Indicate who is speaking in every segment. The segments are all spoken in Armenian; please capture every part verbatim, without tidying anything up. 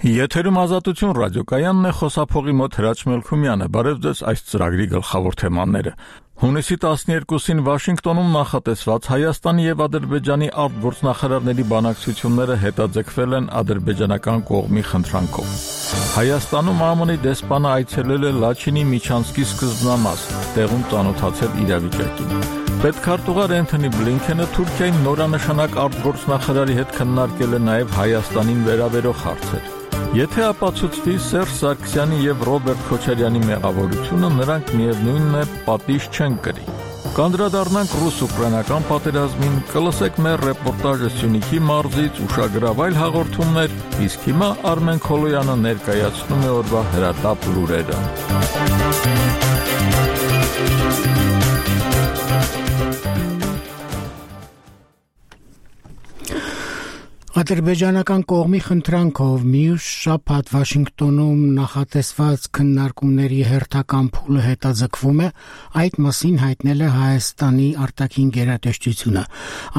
Speaker 1: Եթերում Ազատություն ռադիոկայանն է, խոսափողի մոտ Հրաչ Մելքումյանը։ Բարև ձեզ, այս ծրագրի գլխավոր թեմաները։ Հունիսի տասներկուսին Վաշինգտոնում նախատեսված Հայաստանի եւ Ադրբեջանի արտգործնախարարների բանակցությունները հետաձգվել են ադրբեջանական կողմի խնդրանքով։ Հայաստանում ԱՄՆ-ի դեսպանը այցելել է Լաչինի Միչանսկի սկզբնամաս, տեղում ծանոթացել իրավիճակին։ Պետքարտուղար Էնթոնի Բլինքենը Թուրքիայի նորանշանակ արտգործնախարարի հետ քննարկել է նաև Հայաստանին վերաբերող հարցեր։ Եթե ապացուցվի Սերժ Սարգսյանի եւ Ռոբերտ Քոչարյանի մեղավորությունը, նրանք միևնույնն է պատիժ չեն կրի։ Կանդրադառնանք ռուս-ուկրաինական պատերազմին, կլսեք մեր ռեպորտաժը Սյունիքի մարզից, ուշագրավ այլ հաղորդումներ, իսկ հիմա Արմեն Քոլոյանը ներկայացնում է օրվա հրատապ լուրերը։
Speaker 2: Ադրբեջանական կողմի խնդրանքով մյուս շաբաթ Վաշինգտոնում նախատեսված քննարկումների հերթական փուլը հետաձգվում է, այդ մասին հայտնել է Հայաստանի արտաքին գերատեսչությունը։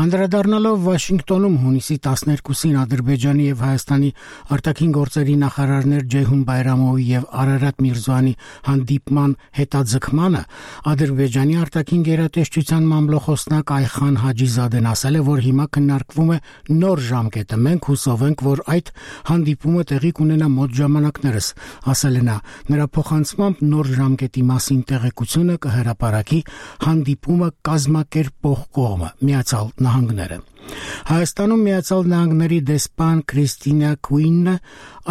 Speaker 2: Անդրադառնալով Վաշինգտոնում հունիսի տասներկուսին Ադրբեջանի եւ Հայաստանի արտաքին գործերի նախարարներ Ջեյհուն Բայրամովի եւ Արարատ Միրզոյանի հանդիպման հետաձգմանը, Ադրբեջանի արտաքին գերատեսչության մամլոխոսնակ Այխան Հաջիզադեն ասել է, որ հիմա քննարկվում է նոր ժամկետ։ Մենք հուսով ենք, որ այդ հանդիպումը տեղի կունենա մոտ ժամանակներս, ասել է նա։ Նրա փոխանցմամբ նոր ժամկետի մասին տեղեկությունը կհրապարակի հանդիպումը կազմակերպող կողմը՝ Միացյալ Նահանգները։ Հայաստանում Միացյալ Նահանգների դեսպան Քրիստինա Քուինը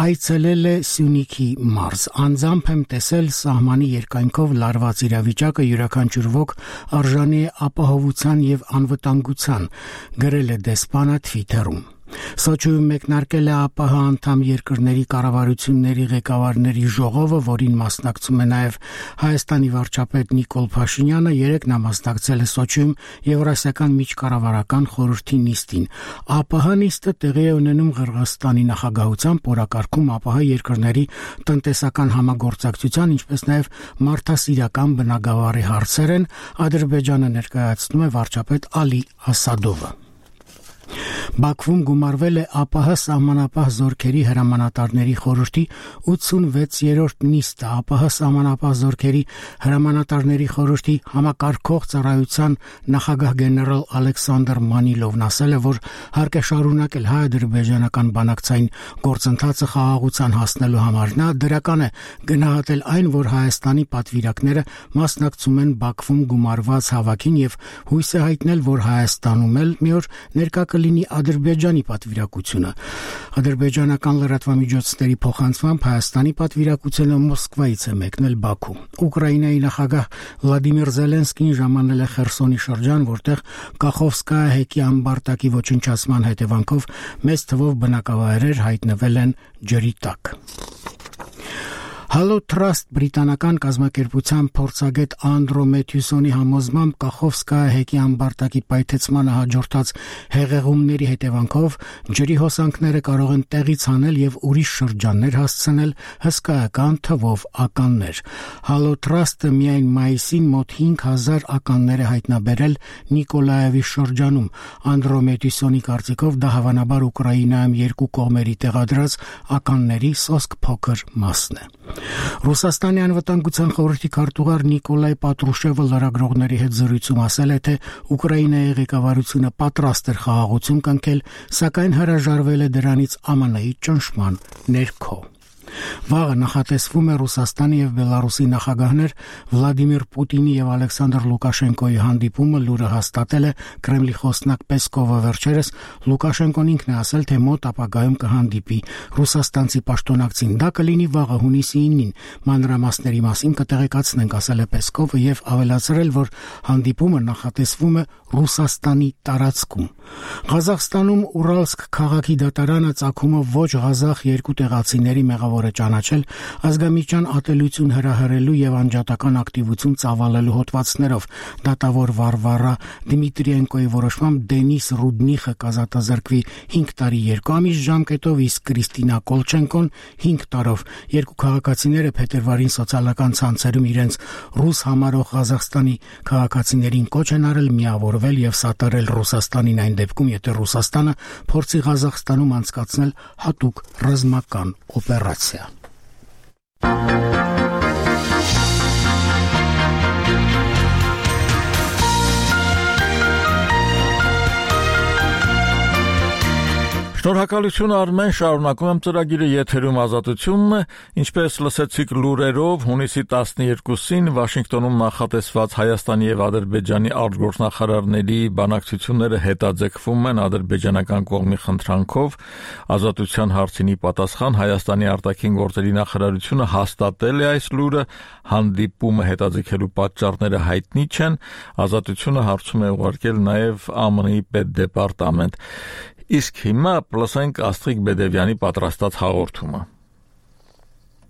Speaker 2: այցելել է Սյունիքի մարզ։ Անձամբ եմ տեսել սահմանի երկայնքով լարված իրավիճակը, յուրաքանչյուր ոք արժանի է ապահովության եւ անվտանգության, գրել է դեսպանը Թվիթերում։ Սոչիում մեկնարկել է ԱՊՀ անդամ երկրների կառավարությունների ղեկավարների ժողովը, որին մասնակցում է նաև Հայաստանի վարչապետ Նիկոլ Փաշինյանը, երեկ նա մասնակցել է Սոչիում Եվրասիական միջկառավարական խորհրդի նիստին։ ԱՊՀ նիստը տեղի է ունենում Ղրղըզստանի նախագահությամբ, օրակարգում ԱՊՀ երկրների տնտեսական համագործակցության, ինչպես նաև մարդասիրական բնագավառի հարցեր են, Ադրբեջանը ներկայացնում է վարչապետ Ալի Ասադովը։ Բաքվում գումարվել է ԱՊՀ սահմանապահ զորքերի հրամանատարների խորհրդի ութսունվեցերորդ նիստը։ ԱՊՀ սահմանապահ զորքերի հրամանատարների խորհրդի համակարգող ծառայության նախագահ գեներալ Ալեքսանդր Մանիլովն ասել է, որ հարկ է շարունակել հայ-ադրբեջանական բանակցային գործընթացը խաղաղության հասնելու համար։ Նա դրական է գնահատել այն, որ Հայաստանի պատվիրակները մասնակցում են Բաքվում գումարված հավաքին եւ հույս է հայտնել, որ Հայաստանում էլ մի օր ներկա կլինի Ադրբեջանի պատվիրակությունը։ Ադրբեջանական լրատվամիջոցների փոխանցմամբ Հայաստանի պատվիրակությունը Մոսկվայից է մեկնել Բաքու։ Ուկրաինայի նախագահ Վլադիմիր Զելենսկին ժամանել է Խերսոնի շրջան, որտեղ Կախովսկայա հեկի ամբարտակի ոչնչացման հետևանքով մեծ թվով բնակավայրեր հայտնվել են ջրի տակ։ Hello Trust բրիտանական կազմակերպության փորձագետ Անդրո Մեթյուսոնի համոզմամբ Կախովսկայա հեկի ամբարտակի պայթեցմանը հաջորդած հեղեղումների հետևանքով ջրի հոսանքները կարող են տեղից հանել եւ ուրիշ շրջաններ հասցնել հսկայական թվով ականներ։ Hello Trust-ը միայն մայիսին մոտ հինգ հազար ականներ է հայտնաբերել Նիկոլաևի շրջանում։ Անդրո Մեթյուսոնի կարծիքով դա հավանաբար Ուկրաինայում երկու կողմերի տեղադրած ականների սոսկ փոքր մասն է։ Ռուսաստանի անվտանգության խորհրդի քարտուղար Նիկոլայ Պատրուշևը լրագրողների հետ զրույցում ասել է, թե Ուկրաինայի ղեկավարությունը պատրաստ էր խաղաղություն կնքել, սակայն հրաժարվել է դրանից ԱՄՆ-ի ճնշման ներքո։ Վաղը նախատեսվում է Ռուսաստանի եւ Բելարուսի նախագահներ Վլադիմիր Պուտինի եւ Ալեքսանդր Լուկաշենկոյի հանդիպումը, լուրը հաստատել է Կրեմլի խոսնակ Պեսկովը վերջերս։ Լուկաշենկոն ինքն է ասել, թե մոտ ապագայում կհանդիպի ռուսաստանցի պաշտոնակցին։ Դա կլինի վաղը հունիսի իննին։ Մանրամասների մասին կտեղեկացնենք, ասել է Պեսկովը եւ ավելացրել, որ հանդիպումը նախատեսվում է Ռուսաստանի տարածքում։ Ղազախստանում Ուրալսկ քաղաքի դատարանը ծագումը ոչ ղազախ երկու տեղացիների մեղավոր է ճանաչել ազգամիջյան ատելություն հրահրելու եւ անջատական ակտիվություն ծավալելու հոդվածներով։ Դատավոր Վարվարա Դմիտրիենկոյի որոշմամբ Դենիս Ռուդնիխը կազատազրկվի հինգ տարի երկու ամիս ժամկետով, իսկ Կրիստինա Կոլչենկոն հինգ տարով։ Երկու քաղաքացիները փետրվարին սոցիալական ցանցերում իրենց ռուս համարող Ղազախստանի քաղաքացիներին կոչ են արել միավորվել եւ սատարել Ռուսաստանին այն դեպքում, եթե Ռուսաստանը փորձի Ղազախստանում անցկացնել հատուկ ռազմական օպերացիա։
Speaker 1: Շնորհակալություն Արմեն, շարունակում եմ ծրագիրը եթերում ազատությունն է, ինչպես լսեցիք լուրերով, հունիսի տասներկուսին Վաշինգտոնում նախատեսված Հայաստանի եւ Ադրբեջանի արտգործնախարարների բանակցությունները հետաձգվում են ադրբեջանական կողմի խնդրանքով։ Ազատության հարցինի պատասխան Հայաստանի արտաքին գործերի նախարարությունը հաստատել է այս լուրը, հանդիպումը հետաձգելու պատճառները հայտնի չեն, ազատությունը հարցում է ուղարկել նաեւ Α M N-ի պետդեպարտամենտ։ Իսկ հիմա լսենք Աստղիկ Բեդևյանի պատրաստած հաղորդումը։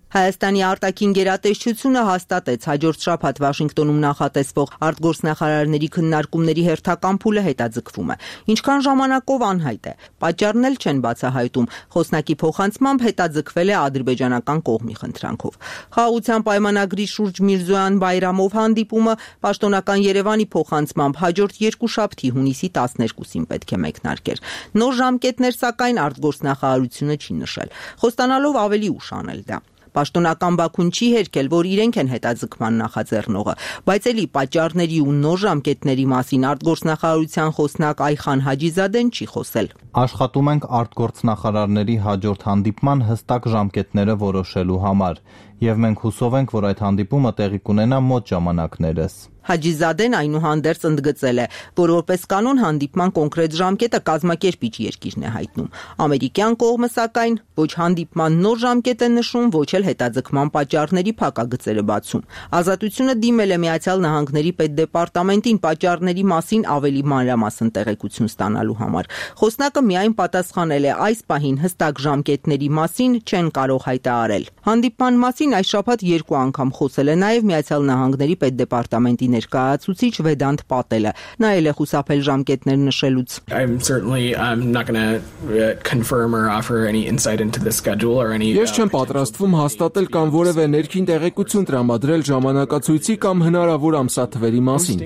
Speaker 3: Հայաստանի արտաքին գերատեսչությունը հաստատեց հաջորդ շաբաթ Վաշինգտոնում նախատեսվող արտգործնախարարների քննարկումների հերթական փուլը հետաձգվում է։ Ինչքան ժամանակով անհայտ է, պատճառն էլ չեն բացահայտում։ Խոսնակի փոխանցմամբ հետաձգվել է ադրբեջանական կողմի խնդրանքով։ Խաղաղության պայմանագրի շուրջ Միրզոյան Բայրամով հանդիպումը պաշտոնական Երևանի փոխանցմամբ հաջորդ երկուշաբթի հունիսի տասներկուսին պետք է մեկնարկեր։ Նոր ժամկետներ սակայն արտգործնախարարությունը չի նշել, խոստանալով ավելի ուշ անել դա։ Պաշտոնական Բաքուն չի հերքել, որ իրենք են հետաձգման նախաձեռնողը, բայց էլի պատճառների ու նոր ժամկետների մասին արտգործնախարարության խոսնակ Այխան Հաջիզադեն չի խոսել։
Speaker 4: Աշխատում ենք արտգործնախարարների հաջորդ հանդիպման հստակ ժամկետները որոշելու համար, եւ մենք հուսով ենք, որ այդ հանդիպումը տեղի կունենա մոտ ժամանակներս։
Speaker 3: Հաջիզադեն այնուհանդերձ ընդգծել է, որ որպես կանոն հանդիպման կոնկրետ ժամկետը կազմակերպիչ երկիրն է հայտնում։ Ամերիկյան կողմը սակայն ոչ հանդիպման նոր ժամկետ է նշում, ոչ էլ հետաձգման պատճառների փակագծերը բացում։ Ազատությունը դիմել է Միացյալ Նահանգների պետդեպարտամենտին պատճառների մասին ավելի մանրամասն տեղեկություն ստանալու համար։ Խոսնակը միայն պատասխանել է այս պահին հստակ ժամկետների մասին չեն կարող հայտարարել։ Հանդիպման մասին այս շաբաթ երկու անգամ խոսել է նաև Միացյալ Նահանգների պետդեպարտամենտի ներկայացուցիչ Վեդանտ Պատելը։ Նա էլ է խուսափել ժամկետներ նշելուց։
Speaker 5: Ես չեմ պատրաստվում հաստատել կամ որևէ ներքին տեղեկություն տրամադրել ժամանակացույցի կամ հնարավոր ամսաթվերի մասին։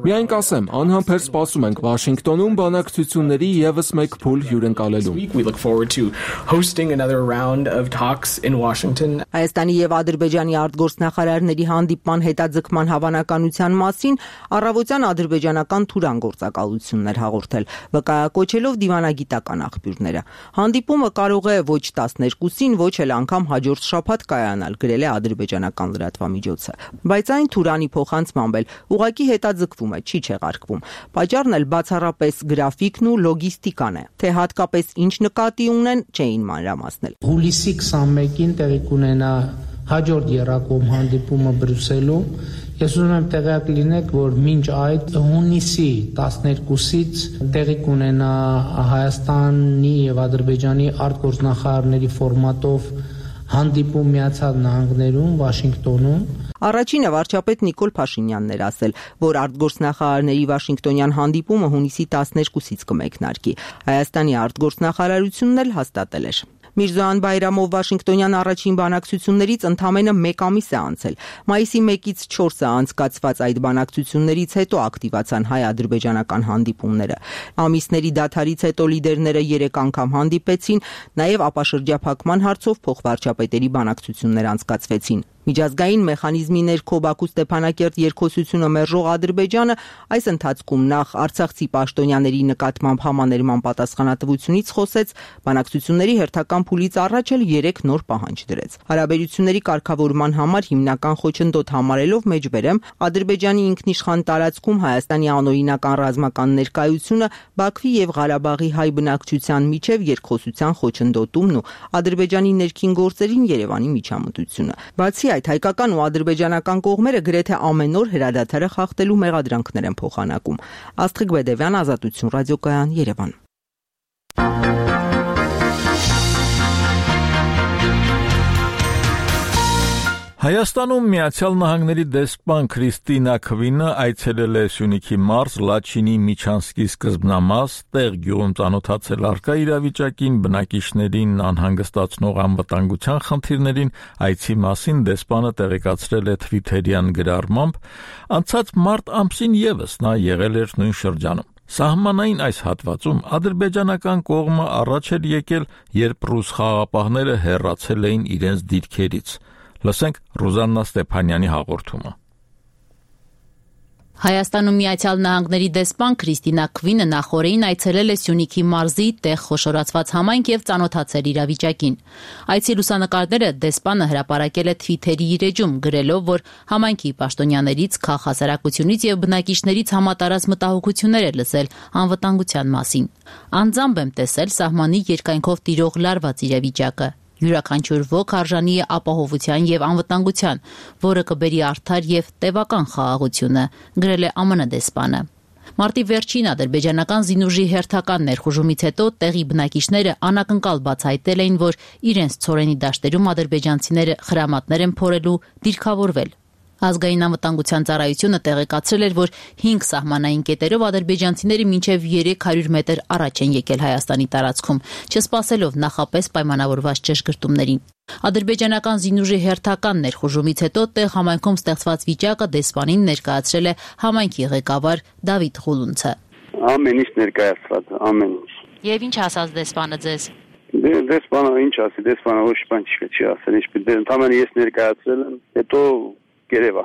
Speaker 5: Միայն կասեմ, անհամբեր սպասում ենք Վաշինգտոնում բանակցությունների ևս մեկ փուլ հյուրընկալելու։
Speaker 3: Հայաստանի եւ Ադրբեջանի արտգործնախարարների հանդիպման հետաձգման հավանականության մասին առավոտյան ադրբեջանական Թուրան գործակալությունն էր հաղորդել, վկայակոչելով դիվանագիտական աղբյուրները։ Հանդիպումը կարող է ոչ տասներկուսին, ոչ էլ անգամ հաջորդ շաբաթ կայանալ, գրել է ադրբեջանական լրատվամիջոցը։ Բայց այն Թուրանի փոխանցմամբ էլ ուղղակի հետաձգվում է, չի չեղարկվում։ Պատճառն էլ բացառապես գրաֆիկն ու լոգիստիկան է, թե հատկապես ինչ նկատի ունեն, չէին մանրամասնել։
Speaker 6: Հուլիսի քսանմեկին տեղի կունենա հաջորդ եռակողմ հանդիպումը Բրյուսելում։ Ես ուզում եմ տեղյակ լինեք, որ մինչ այդ հունիսի տասներկուսից տեղի կունենա Հայաստանի եւ Ադրբեջանի արտգործնախարարների ֆորմատով հանդիպում Միացյալ Նահանգներում, Վաշինգտոնում։
Speaker 3: Առաջինը վարչապետ Նիկոլ Փաշինյանն էր ասել, որ արտգործնախարարների Վաշինգտոնյան հանդիպումը հունիսի տասներկուսից կմեկնարկի։ Հայաստանի արտգործնախարարությունն էլ հաստատել էր։ Միրզոյան Բայրամով Վաշինգտոնյան առաջին բանակցություններից ընդամենը մեկ ամիս է անցել։ Մայիսի մեկից չորսը անցկացված այդ բանակցություններից հետո ակտիվացան հայ-ադրբեջանական հանդիպումները։ Ամիսների դադարից հետո լիդերները երեք անգամ հանդիպեցին, նաև ապաշրջափակման հարցով փոխվարչապետերի բանակցություններ անցկացվեցին։ Միջազգային մեխանիզմի ներքո Բաքու Ստեփանակերտ երկխոսությունը մերժող Ադրբեջանը այս ընթացքում նախ Արցախցի պաշտոնյաների նկատմամբ համաներման պատասխանատվությունից խոսեց, բանակցությունների հերթական փուլից առաջ էլ երեք նոր պահանջ դրեց։ Հարաբերությունների կարգավորման համար հիմնական խոչընդոտ համարելով մեջբերեմ Ադրբեջանի ինքնիշխան տարածքում Հայաստանի անօրինական ռազմական ներկայությունը Բաքվի եւ Ղարաբաղի հայ բնակչության միջև երկխոսության խոչընդոտումն ու Ադրբեջանի ներքին գործերին Երևանի միջամտությունը։ Բացի այդ, հայկական ու ադրբեջանական կողմերը գրեթե ամեն օր հրադադարը խախտելու մեղադրանքներ են փոխանակում։ Աստղիկ Բեդևյան, Ազատություն ռադիոկայան, Երևան։
Speaker 1: Հայաստանում Միացյալ Նահանգների դեսպան Քրիստինա Քվինը այցելել է Սյունիքի մարզ, Լաչինի, Միչանսկի սկզբնամաս, տեղ գյուղում ծանոթացել առկա իրավիճակին, բնակիչներին անհանգստացնող անվտանգության խնդիրներին, այցի մասին դեսպանը տեղեկացրել է Թվիթերյան գրառմամբ, անցած մարտ ամսին ևս նա եղել էր նույն շրջանում։ Սահմանային այս հատվածում ադրբեջանական կողմը առաջ էր եկել, երբ ռուս խաղաղապահները հեռացել էին իրենց դիրքերից։ Լսենք Ռուզաննա Ստեփանյանի հաղորդումը։
Speaker 7: Հայաստանում Միացյալ Նահանգների դեսպան Քրիստինա Քվինը նախորդին այցելել է Սյունիքի մարզի տեղ խոշորացված համայնք եւ ծանոթացել իրավիճակին։ Այցի լուսանկարները դեսպանը հրապարակել է Թվիթերի իր էջում, գրելով, որ համայնքի պաշտոնյաներից, քաղաքասարակությունից եւ բնակիչներից համատարած մտահոգություններ է լսել անվտանգության մասին։ Անձամբ եմ տեսել սահմանի երկայնքով տիրող լարված իրավիճակը։ Յուրաքանչյուր ոք արժանի է ապահովության եւ անվտանգության, որը կբերի արդար եւ տևական խաղաղությունը, գրել է ԱՄՆ դեսպանը։ Մարտի վերջին ադրբեջանական զինուժի հերթական ներխուժումից հետո տեղի բնակիչները անակնկալ բացահայտել էին, որ իրենց ցորենի դաշտերում ադրբեջանցիները խրամատներ են փորելու, դիրքավորվել։ Ազգային անվտանգության ծառայությունը տեղեկացրել էր, որ հինգ սահմանային կետերով ադրբեջանցիները մինչև երեք հարյուր մետր առաջ են եկել Հայաստանի տարածքում, չսպասելով նախապես պայմանավորված ճշգրտումներին։ Ադրբեջանական զինուժի հերթական ներխուժումից հետո տեղ համայնքում ստեղծված վիճակը դեսպանին ներկայացրել է համայնքի ղեկավար Դավիթ Ղուլունցը։
Speaker 8: Ամեն ինչ ներկայացված, ամեն ինչ։
Speaker 7: Եվ ինչ ասաց դեսպանը ձեզ։
Speaker 8: Դեսպանը ինչ ասի, դեսպանը ոչ բան չի ասել, ինչ ընդամենը ես ներկայացրել եմ, հետո Գերեվա։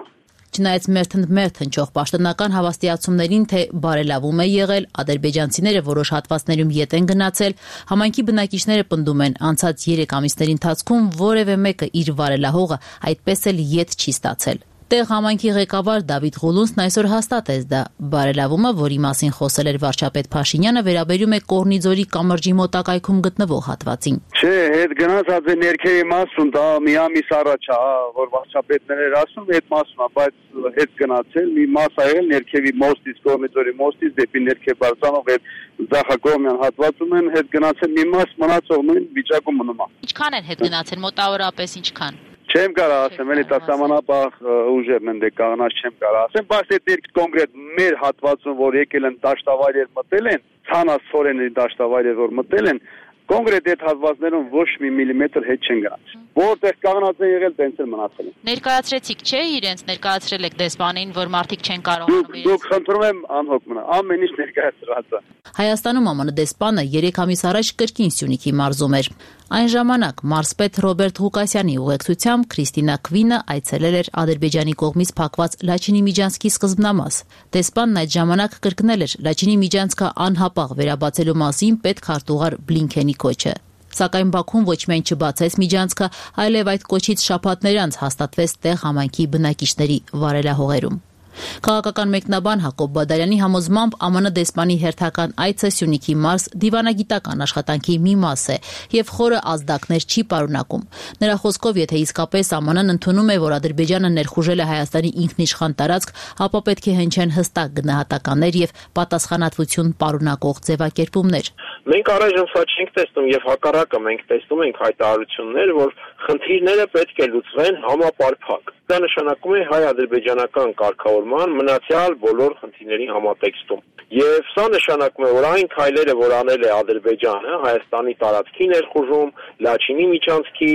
Speaker 7: Չնայած մերթ-մերթ հնչող պաշտոնական հավաստիացումներին, թե բարելավում է եղել, ադրբեջանցիները որոշ հատվածներում ետ են գնացել, համայնքի բնակիչները պնդում են, անցած երեք ամիսների ընթացքում որևէ մեկը իր վարելահողը այդպես էլ ետ չի ստացել։ Տեղ համայնքի ղեկավար Դավիթ Ղուլունցն այսօր հաստատեց դա։ Բարելավումը, որի մասին խոսել էր վարչապետ Փաշինյանը, վերաբերում է Կորնիձորի կամրջի մոտակայքում գտնվող հատվածին։
Speaker 8: Չէ, հետ գնացած է ներքևի մասում, դա մի ամիս առաջ է, որ վարչապետն էր ասում, այդ մասում է, բայց հետ գնացել, մի մաս ա եղել ներքևի մոստից, Կորնիձորի մոստից դեպի ներքև բարձրանող այդ Ձախակողմյան հատվածում են հետ գնացել, մի մաս մնացող նույն վիճակում մնում է։
Speaker 7: Ինչքան են հետ գնացել, մոտավորապես ինչքան։
Speaker 8: Չեմ կարող ասեմ, էլի դա սահմանապահ ուժերն են դե կանգնած չեմ կարող ասեմ, բայց այդ կոնկրետ մեր հատվածում, որ եկել են դաշտավայրեր մտել են, ցանասորենի դաշտավայրեր որ մտել են, կոնկրետ այդ հատվածներում ոչ մի միլիմետր հետ չեն գնացել։ Որտեղ կանգնած են եղել, տենց էլ մնացել են։
Speaker 7: Ներկայացրեցիք, չէ, իրենց ներկայացրել եք դեսպանին, որ մարդիկ չեն կարողանում։
Speaker 8: Դուք խնդրում եմ անհոգ մնա, ամեն ինչ ներկայացրած է։
Speaker 7: Հայաստանում ԱՄՆ դեսպանը երեք ամիս առաջ կրկին Սյունիքի մարզում էր։ Այն ժամանակ մարզպետ Ռոբերտ Ղուկասյանի ուղեկցությամբ Քրիստինա Քվինը այցելել էր Ադրբեջանի կողմից փակված Լաչինի Միջանցքի սկզբնամաս։ Դեսպանն այդ ժամանակ կրկնել էր Լաչինի Միջանցքը անհապաղ վերաբացելու մասին պետքարտուղար Բլինքենի կոչը։ Սակայն Բաքուն ոչ միայն չբացեց Միջանցքը, այլև այդ կոչից շաբաթներ անց հաստատվեց տեղ համայնքի բնակիչների վարելահողերում։ Քաղաքական մեկնաբան Հակոբ Բադարյանի համոզմամբ ԱՄՆ դեսպանի հերթական այցը Սյունիքի մարզ դիվանագիտական աշխատանքի մի մաս է եւ խորը ազդակներ չի պարունակում։ Նրա խոսքով, եթե իսկապես ԱՄՆ-ն ընդունում է, որ Ադրբեջանը ներխուժել է Հայաստանի ինքնիշխան տարածք, ապա պետք է հնչեն հստակ գնահատականներ եւ պատասխանատվություն պարունակող ձևակերպումներ։
Speaker 9: Մենք առայժմ սա չենք տեսնում եւ հակառակը մենք տեսնում ենք հայտարարություններ, որ խնդիրները պետք է լուծվեն համապարփակ։ Դա նշանակում է հայ-ադրբեջանական կարգավորման մնացյալ բոլոր խնդիրների համատեքստում։ Եվ սա նշանակում է, որ այն քայլերը, որ անել է Ադրբեջանը, Հայաստանի տարածքի ներխուժում, Լաչինի Միջանցքի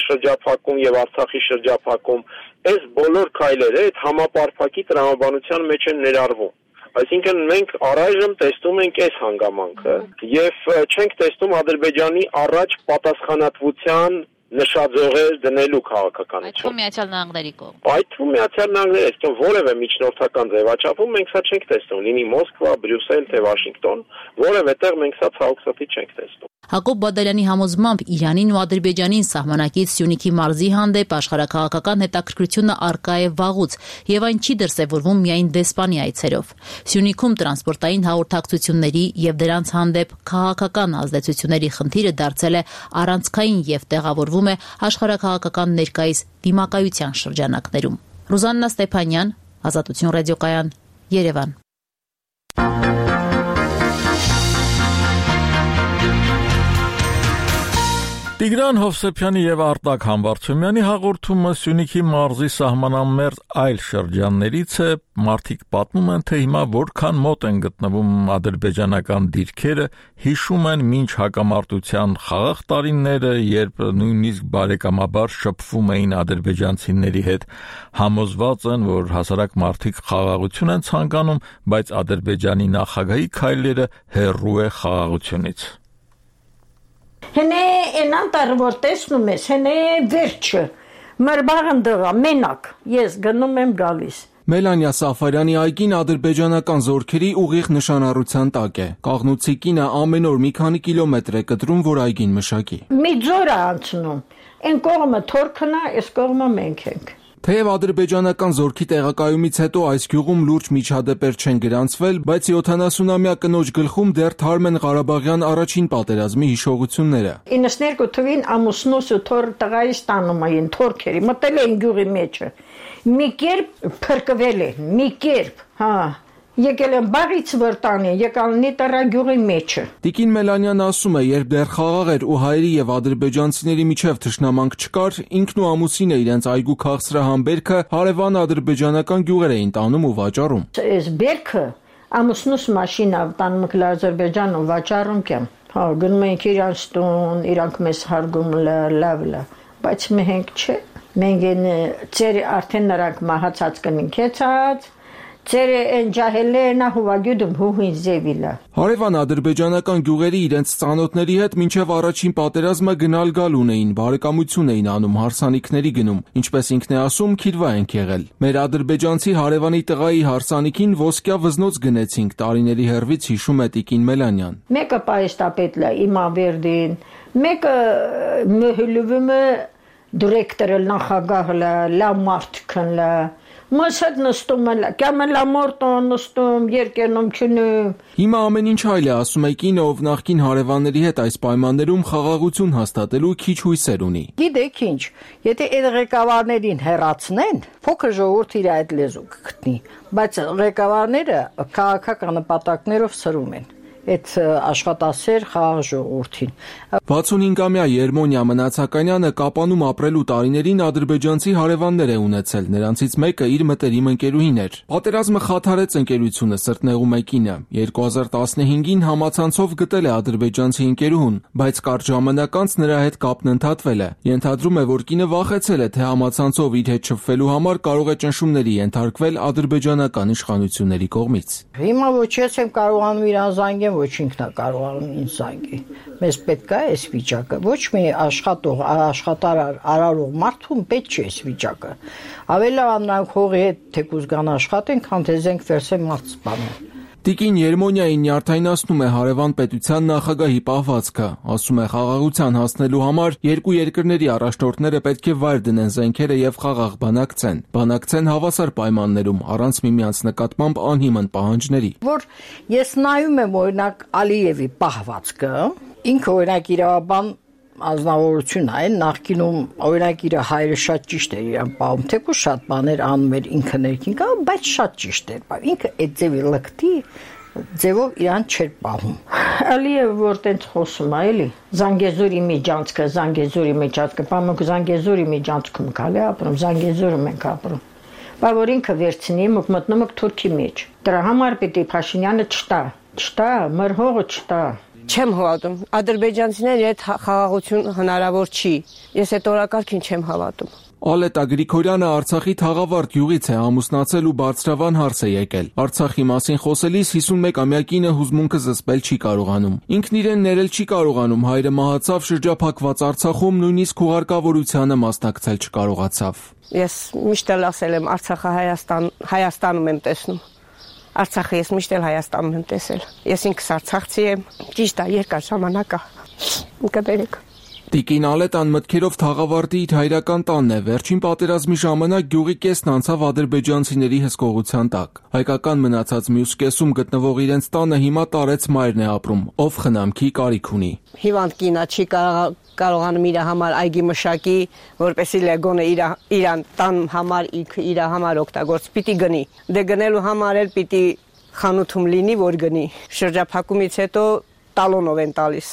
Speaker 9: շրջափակում եւ Արցախի շրջափակում, այս բոլոր քայլերը այդ համապարփակի տրամաբանության մեջ են ներառվում։ Այսինքն մենք առայժմ տեսնում ենք այս հանգամանքը եւ չենք տեսնում Ադրբեջանի առաջ պատասխանատվության նշաձողեր դնելու քաղաքականություն։
Speaker 7: Այդ Միացյալ Նահանգների կողմ։
Speaker 9: Այդ թվում Միացյալ Նահանգները, այսինքն որևէ միջնորդական ձևաչափում մենք սա չենք տեսնում, լինի Մոսկվա, Բրյուսել, թե Վաշինգտոն, որևէ տեղ մենք սա ցավոքսաթի չենք տեսնում։
Speaker 7: Հակոբ Բադարյանի համոզմամբ Իրանին ու Ադրբեջանին սահմանակից Սյունիքի մարզի հանդեպ աշխարհաքաղաքական հետաքրքրությունը առկա է վաղուց եւ այն չի դրսեւորվում միայն դեսպանի այցերով։ Սյունիքում տրանսպորտային հաղորդակցությունների եւ դրանց հանդեպ քաղաքական ազդեցությունների խնդիրը դարձել է առանցքային եւ տեղավորվում է աշխարհաքաղաքական ներկայիս դիմակայության շրջանակներում։ Ռուզաննա Ստեփանյան, Ազատություն ռադիոկայան, Երևան։
Speaker 1: Տիգրան Հովսեփյանի եւ Արտակ Համբարձումյանի հաղորդումը Սյունիքի մարզի սահմանամերձ այլ շրջաններից է, մարդիկ պատմում են, թե հիմա որքան մոտ են գտնվում ադրբեջանական դիրքերը, հիշում են մինչ հակամարտության խաղաղ տարիները, երբ նույնիսկ բարեկամաբար շփվում էին ադրբեջանցիների հետ, համոզված են, որ հասարակ մարդիկ խաղաղություն են ցանկանում, բայց Ադրբեջանի նախագահի քայլերը հեռու է խաղաղությունից։
Speaker 10: Հենե այնան տար որ տեսնում ես, հենե վերջը, մրբաղն դղա, մենակ, ես գնում եմ գալիս։
Speaker 5: Մելանիա Սաֆարյանի այգին ադրբեջանական զորքերի ուղիղ նշանառության տակ է։ Կաղնուցի կինը ամեն օր մի քանի կիլոմետր է կտրում, որ այգին մշակի։
Speaker 10: Մի ձոր է անցնում, այն կողմը թորքն է, այս կողմը մենք ենք։
Speaker 5: Թեև ադրբեջանական զորքի տեղակայումից հետո այս գյուղում լուրջ միջադեպեր չեն գրանցվել, բայց յոթանասունամյա կնոջ գլխում դեռ թարմ են Ղարաբաղյան առաջին պատերազմի հիշողությունները։
Speaker 10: իննսներկու թվին ամուսնուս ու թոր տղայիս տանում էին թորքերի, մտել էին գյուղի մեջը։ Մի կերպ փրկվել են, մի կերպ, հա։ Եկել են բաղից վրտանի, եկալ նիտարա գյուղի մեջը։
Speaker 5: Տիկին Մելանյան ասում է, երբ դեռ խաղաղ էր ու հայերի եւ ադրբեջանցիների միջև թշնամանք չկար, ինքն ու ամուսինը իրենց այգու քաղցրահամբերքը հարևան ադրբեջանական գյուղեր էին տանում ու վաճառում։
Speaker 10: Այս բերքը ամուսնուս մաշինա տանում եք Ադրբեջան ու վաճառում կեմ։ Հա, գնում ենք իրանց տուն, իրանք մեզ հարգում լավ լավ, բայց մենք չէ։ Մենք ծեր արդեն նրանք մահացած կնքեցած Ծերը են ջահելենա հուվագյուդում հուհին զևիլա։
Speaker 5: Հարևան ադրբեջանական գյուղերի իրենց ծանոթների հետ մինչև առաջին պատերազմը գնալ գալ ունեին, բարեկամություն էին անում, հարսանիքների գնում, ինչպես ինքն է ասում, քիրվա ենք եղել։ Մեր ադրբեջանցի հարևանի տղայի հարսանիքին ոսկյա վզնոց գնեցինք, տարիների հեռվից հիշում է տիկին Մելանյան։
Speaker 10: Մեկը պայստապետլա Իմավերդին, մեկը մհլուվը դիրեկտորը նախագահը լա մարտքնլա Մասդ նստում է, կամ էլ ամորտոն նստում, երկերնում չնում։
Speaker 5: Հիմա ամեն ինչ այլ է, ասում է կինը, ով նախկին հարևանների հետ այս պայմաններում խաղաղություն հաստատելու քիչ հույսեր ունի։
Speaker 10: Գիտեք ինչ, եթե այդ ղեկավարներին հեռացնեն, փոքր ժողովուրդ իր այդ լեզու կգտնի, բայց ղեկավարները քաղաքական նպատակներով սրում են այդ աշխատասեր խաղաղ ժողովրդին։
Speaker 5: վաթսունհինգամյա Երմոնիա Մնացականյանը Կապանում ապրելու տարիներին ադրբեջանցի հարևաններ է ունեցել, նրանցից մեկը իր մտերիմ ընկերուհին էր։ Պատերազմը խաթարեց ընկերությունը, սրտնեղում է կինը։ երկու հազար տասնհինգին համացանցով գտել է ադրբեջանցի ընկերուհուն, բայց կարճ ժամանակ անց նրա հետ կապն ընդհատվել է։ Ենթադրում է, որ կինը վախեցել է, թե համացանցով իր հետ շփվելու համար կարող է ճնշումների ենթարկվել ադրբեջանական իշխանությունների կողմից։
Speaker 10: Հիմա ոչ ես եմ կարողանում իրան զանգեմ, ոչ ինքն է կարողանում ինձ զանգի։ Մեզ պետք է այս վիճակը, ոչ մի աշխատող, աշխատարար, արարող մարդուն պետք չէ այս վիճակը։ Ավելի լավ նրանք հողի հետ թեկուզ գան աշխատեն, քան թե զենք վերցեն մարդ սպանեն։
Speaker 5: Տիկին Երմոնիային նյարդայնացնում է հարևան պետության նախագահի պահվածքը, ասում է խաղաղության հասնելու համար երկու երկրների առաջնորդները պետք է վայր դնեն զենքերը եւ խաղաղ բանակցեն, բանակցեն հավասար պայմաններում, առանց միմյանց նկատմամբ անհիմն պահանջների։
Speaker 10: Որ ես նայում եմ օրինակ Ալիևի պահվածքը, ինքը օրինակ իրավաբան ազնվորություն այն նախկինում օրինակ իր հայրը շատ ճիշտ էր իրան պահում, թեկուզ շատ բաներ անում էր ինքը ներքին կա, բայց շատ ճիշտ էր պահում, ինքը այդ ձևի լկտի ձևով իրան չէր պահում։ Ալիևը որ տենց խոսում է, էլի, Զանգեզուրի միջանցքը, Զանգեզուրի միջանցքը, պամոք Զանգեզուրի միջանցքում կալ է ապրում, Զանգեզուրում ենք ապրում։ Բա որ ինքը վերցնի, մոք մտնում եք Թուրքի մեջ։ Դրա համար պիտի Փաշինյանը չտա, չտա, մեր հողը չտա։
Speaker 11: Չեմ հավատում։ Ադրբեջանցիների հետ խաղաղություն հնարավոր չի։ Ես այդ օրակարգին չեմ հավատում։
Speaker 5: Ալետա Գրիգորյանը Արցախի Թաղավարտ գյուղից է, ամուսնացել ու բարձրավան հարս է եկել։ Արցախի մասին խոսելիս հիսունմեկամյա կինը հուզմունքը զսպել չի կարողանում։ Ինքն իրեն ներել չի կարողանում, հայրը մահացավ շրջափակված Արցախում, նույնիսկ հուղարկավորությանը մասնակցել չկարողացավ։
Speaker 11: Ես միշտ էլ ասել եմ Արցախը Հայաստան, Հայաստանում եմ տեսնում։ Արցախը ես միշտ էլ Հայաստանում եմ տեսել։ Ես ինքս արցախցի եմ, ճիշտ է, երկար ժամանակ է։ Կբերեք։
Speaker 5: Տիկին Ալետան մտքերով Թաղավարտի իր հայրական տանն է, վերջին պատերազմի ժամանակ գյուղի կեսն անցավ ադրբեջանցիների հսկողության տակ։ Հայկական մնացած մյուս կեսում գտնվող իրենց տանը հիմա տարեց մայրն է ապրում, ով խնամքի կարիք ունի։
Speaker 11: Հիվանդ կինա չի կարողանում իր համար այգի մշակի, որպեսզի լեգոնը իրան տան համար իր համար օգտագործ պիտի գնի։ Դե գնելու համար էլ պիտի խանութում լինի, որ գնի։ Շրջափակումից հետո տալոնով են տալիս։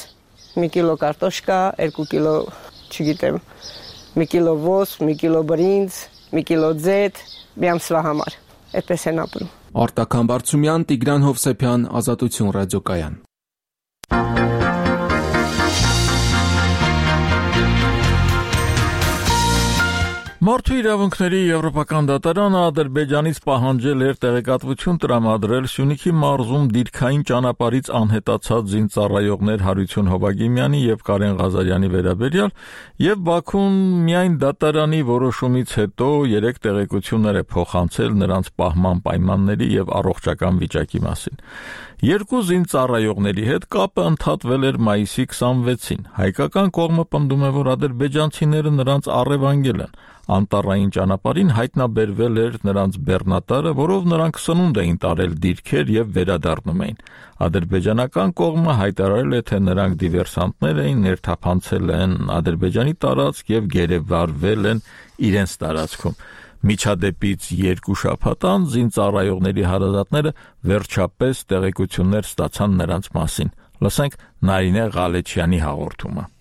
Speaker 11: մի կիլո կարտոշկա, երկու կիլո, չգիտեմ, մի կիլո ոս, մի կիլո բրինձ, մի կիլո ձեթ, մի ամսվա համար։ Այդպես են ապրում։
Speaker 5: Արտակ Համբարձումյան, Տիգրան Հովսեփյան, Ազատություն ռադիոկայան։
Speaker 1: Մարդու իրավունքների եվրոպական դատարանը Ադրբեջանից պահանջել էր տեղեկատվություն տրամադրել Սյունիքի մարզում դիրքային ճանապարհից անհետացած զինծառայողներ Հարություն Հովագիմյանի եւ Կարեն Ղազարյանի վերաբերյալ եւ Բաքուն միայն դատարանի որոշումից հետո երեք տեղեկություններ է փոխանցել նրանց պահման պայմանների եւ առողջական վիճակի մասին։ Երկու զինծառայողների հետ կապը ընդհատվել էր մայիսի քսանվեցին։ Հայկական կողմը պնդում է, որ ադրբեջանցիները նրանց առևանգել են։ Անտառային ճանապարհին հայտնաբերվել էր նրանց բեռնատարը, որով նրանք սնունդ էին տարել դիրքեր եւ վերադառնում էին։ Ադրբեջանական կողմը հայտարարել է, թե նրանք դիվերսանտներ էին, ներթափանցել են Ադրբեջանի տարածք եւ գերեվարվել են իրենց տարածքում։ Միջադեպից երկու շաբաթ անց զինծառայողների հարազատները վերջապես տեղեկություններ ստացան նրանց մասին։ Լսենք Նարինե Ղալեչյանի հաղորդումը։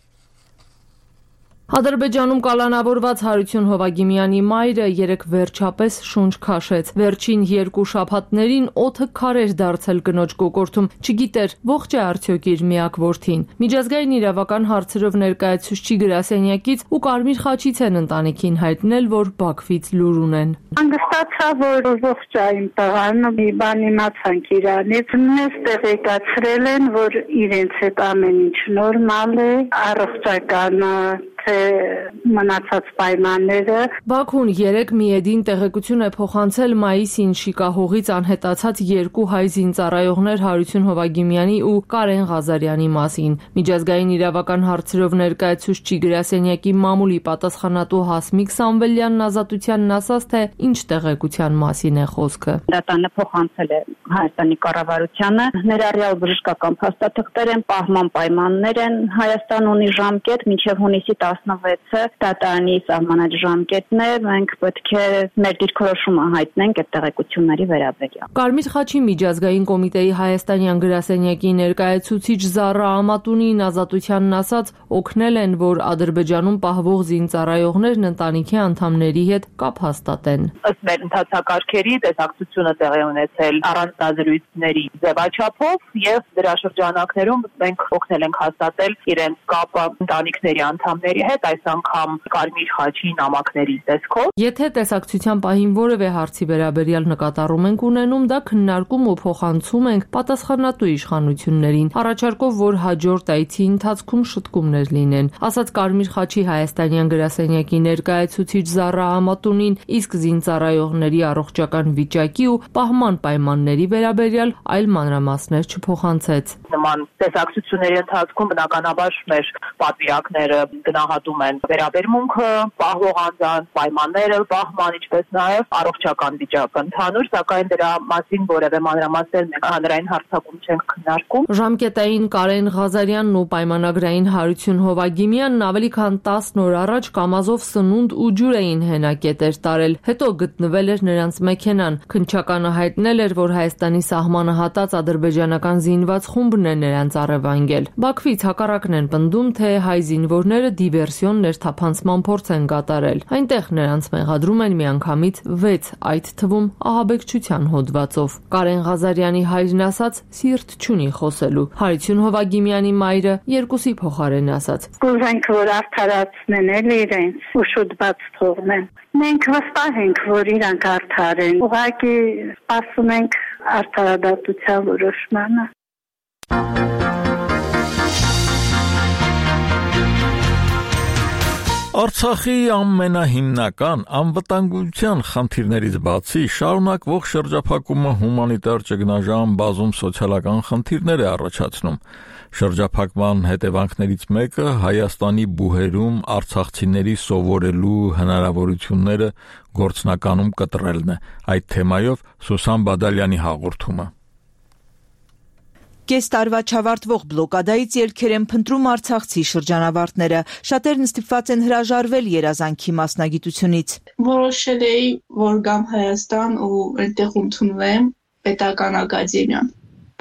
Speaker 12: Ադրբեջանում կալանավորված Հարություն Հովագիմյանի մայրը երեք վերջապես շունչ քաշեց։ Վերջին երկու շաբաթներին օդը քար էր դարձել կնոջ կոկորդում, չգիտեր ողջ է արդյոք իր միակ որդին։ Միջազգային իրավական հարցերով ներկայացուցիչ գրասենյակից ու Կարմիր խաչից են ընտանիքին հայտնել, որ Բաքվից լուր ունեն։
Speaker 13: Հանգստացա, որ ողջ է իմ տղան, մի բան իմացանք իրանից, մեզ տեղեկացրել են, որ իրենց հետ ամեն ինչ նորմալ է, առողջական թե մնացած պայմանները։
Speaker 12: Բաքուն երեք միեդին տեղեկություն է փոխանցել մայիսին Շիկահողից անհետացած երկու հայ զինծառայողներ Հարություն Հովագիմյանի ու Կարեն Ղազարյանի մասին։ Միջազգային իրավական հարցերով ներկայացուցիչ գրասենյակի մամուլի պատասխանատու Հասմիկ Սամվելյանն Ազատությանն ասաց, թե ինչ տեղեկության մասին է խոսքը։
Speaker 14: Դատանը փոխանցել է Հայաստանի կառավարությանը, ներառյալ բժշկական փաստաթղթեր են, պահման պայմաններ են, Հայաստան ունի ժամկետ մինչև հունիսի տասնվեցը դատարանի սահմանած ժամկետն է, մենք պետք է մեր դիրքորոշումը հայտնենք այդ տեղեկությունների վերաբերյալ։
Speaker 12: Կարմիր խաչի միջազգային կոմիտեի հայաստանյան գրասենյակի ներկայացուցիչ Զառա Ամատունին Ազատությանն ասաց, օգնել են, որ Ադրբեջանում պահվող զինծառայողներն ընտանիքի անդամների հետ կապ հաստատեն։
Speaker 15: Ըստ մեր ընթացակարգերի տեսակցությունը տեղի ունեցել առանձնազրույցների ձևաչափով եւ դրա շրջանակներում մենք օգնել ենք հաստատել իրենց կապը ընտանիքների անդամների հետ, այս անգամ Կարմիր խաչի նամակների տեսքով։
Speaker 12: Եթե տեսակցության պահին որևէ հարցի վերաբերյալ նկատառում ենք ունենում, դա քննարկում ու փոխանցում ենք պատասխանատու իշխանություններին, առաջարկով, որ հաջորդ այցի ընթացքում շտկումներ լինեն, ասաց Կարմիր խաչի հայաստանյան գրասենյակի ներկայացուցիչ Զառա Ամատունին, իսկ զինծառայողների առողջական վիճակի ու պահման պայմանների վերաբերյալ այլ մանրամասներ չփոխանցեց։
Speaker 15: Նման տեսակցությունների ընթացքում բնականաբար մեր պատվիրակները գնահատում են վերաբերմունքը, պահվող անձանց պայմանները, պահման, ինչպես նաև առողջական վիճակը ընդհանուր, սակայն դրա մասին որևէ մանրամասներ մենք հանրային հարցակում չենք քննարկում։
Speaker 12: Ժամկետային Կարեն Ղազարյանն ու պայմանագրային Հարություն Հովագիմյանն ավելի քան տասն օր առաջ Կամազով սնունդ ու ջուր էին հենակետեր տարել, հետո գտնվել էր նրանց մեքենան։ Քննչականը հայտնել էր, որ Հայաստանի սահմանը հատած ադրբեջանական զինված խումբն է նրանց առևանգել։ Բաքվից հակառակն են պնդում, թե հայ զինվորները դիվերսիոն ներթափանցման փորձ են կատարել։ Այնտեղ նրանց մեղադրում են միանգամից վեց, այդ թվում ահաբեկչության հոդվածով։ Կարեն Ղազարյանի հայրն ասաց, սիրտ չունի խոսելու։ Հարություն Հովագիմյանի մայրը երկուսի փոխարեն ասաց.
Speaker 13: Կուզենք, որ արդարացնեն էլ իրենց ու շուտ բաց թողնեն։ Մենք վստահ ենք, որ իրանք արդար են։ Ուղղակի սպասում ենք արդարադատության որոշմանը։
Speaker 1: Արցախի ամենահիմնական անվտանգության խնդիրներից բացի շարունակվող շրջափակումը հումանիտար ճգնաժամ բազում սոցիալական խնդիրներ է առաջացնում։ Շրջափակման հետևանքներից մեկը Հայաստանի բուհերում արցախցիների սովորելու հնարավորությունները գործնականում կտրելն է։ Այդ թեմայով Սուսան Բադալյանի հաղորդումը։
Speaker 16: Կես տարվա չավարտվող բլոկադայից ելքեր են փնտրում արցախցի շրջանավարտները։ Շատերն ստիպված են հրաժարվել երազանքի մասնագիտությունից։
Speaker 17: Որոշել էի, որ գամ Հայաստան ու այնտեղ ընդունվեմ պետական ակադեմիան,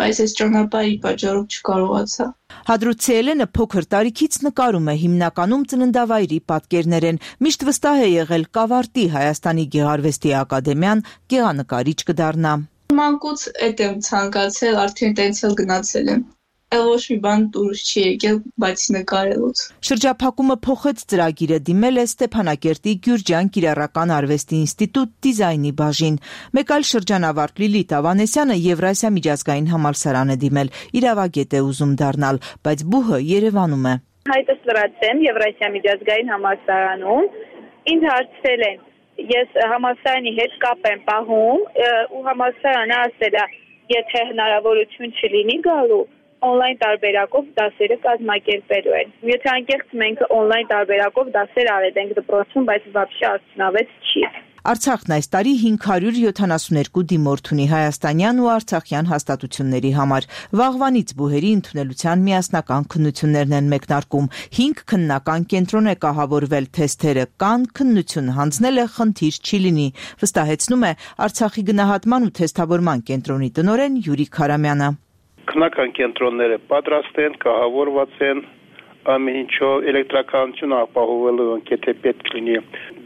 Speaker 17: բայց այս ճանապարհի պատճառով չկարողացա։
Speaker 16: Հադրութցիելենը փոքր տարիքից նկարում է, հիմնականում ծննդավայրի պատկերներ են, միշտ վստահ է եղել կավարտի Հայաստանի Գեղարվեստի ակադեմիան, գեղանկարիչ կդառնա։
Speaker 17: Մանկուց էդ եմ ցանկացել, արդեն տենց էլ գնացել եմ։ Էլ ոչ մի բան դուրս չի եկել, բայց նկարելուց։
Speaker 16: Շրջափակումը փոխեց ծրագիրը, դիմել է Ստեփանակերտի Գյուրջան Կիրառական արվեստի ինստիտուտ դիզայնի բաժին։ Մեկ այլ շրջանավարտ Լիլիթ Ավանեսյանը Եվրասիա միջազգային համալսարան է դիմել, իրավագետ է ուզում դառնալ, բայց բուհը Երևանում է։
Speaker 14: Հայտս լրացեմ Եվրասիա միջազգային համալսարանում, ինձ հարցրել են, ես համալսարանի հետ կապ եմ պահում ու համալսարանը ասել է, եթե հնարավորություն չլինի գալու, on-line տարբերակով դասերը կազմակերպելու են։ Եթե անկեղծ մենք on-line տարբերակով դասեր արեցինք դպրոցում, բայց вообще արդյունավետ չի։
Speaker 16: Արցախն այս տարի հինգ հարյուր յոթանասունհինգ դիմորդ ունի հայաստանյան ու արցախյան հաստատությունների համար։ Վաղվանից բուհերի ընդունելության միասնական քննություններն են մեկնարկում։ հինգ քննական կենտրոն է կահավորվել, թեստերը կան, քննություն հանձնել է, խնդիր չի լինի, վստահեցնում է Արցախի գնահատման ու թեստավորման կենտրոնի տնօրեն Յուրիկ Հարամյանը։
Speaker 18: Քննական կենտրոնները պատրաստ են, կահավորված են, ամեն ինչով էլեկտրականություն ապահովելու եթե պետք լինի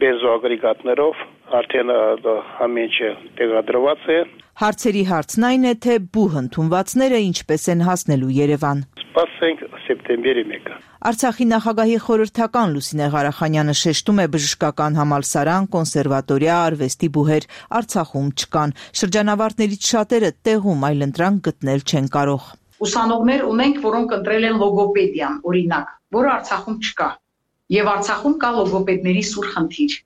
Speaker 18: բենզոագրեգատներով, արդեն ամեն ինչը տեղադրված է։
Speaker 16: Հարցերի հարցն այն է, թե բուհ ընդունվածները ինչպես են հասնելու Երևան։
Speaker 18: Սպասենք սեպտեմբերի մեկը։
Speaker 16: Արցախի նախագահի խորհրդական Լուսինե Ղարախանյանը շեշտում է բժշկական համալսարան, կոնսերվատորիա, արվեստի բուհեր Արցախում չկան։ Շրջանավարտներից շատերը տեղում այլընտրանք գտնել չեն կարող։
Speaker 19: Ուսանողներ ունենք, որոնք ընտրել են լոգոպեդիան, օրինակ, որը Արցախում չկա։ Եվ Արցախում կա լոգոպեդների սուր խնդիր։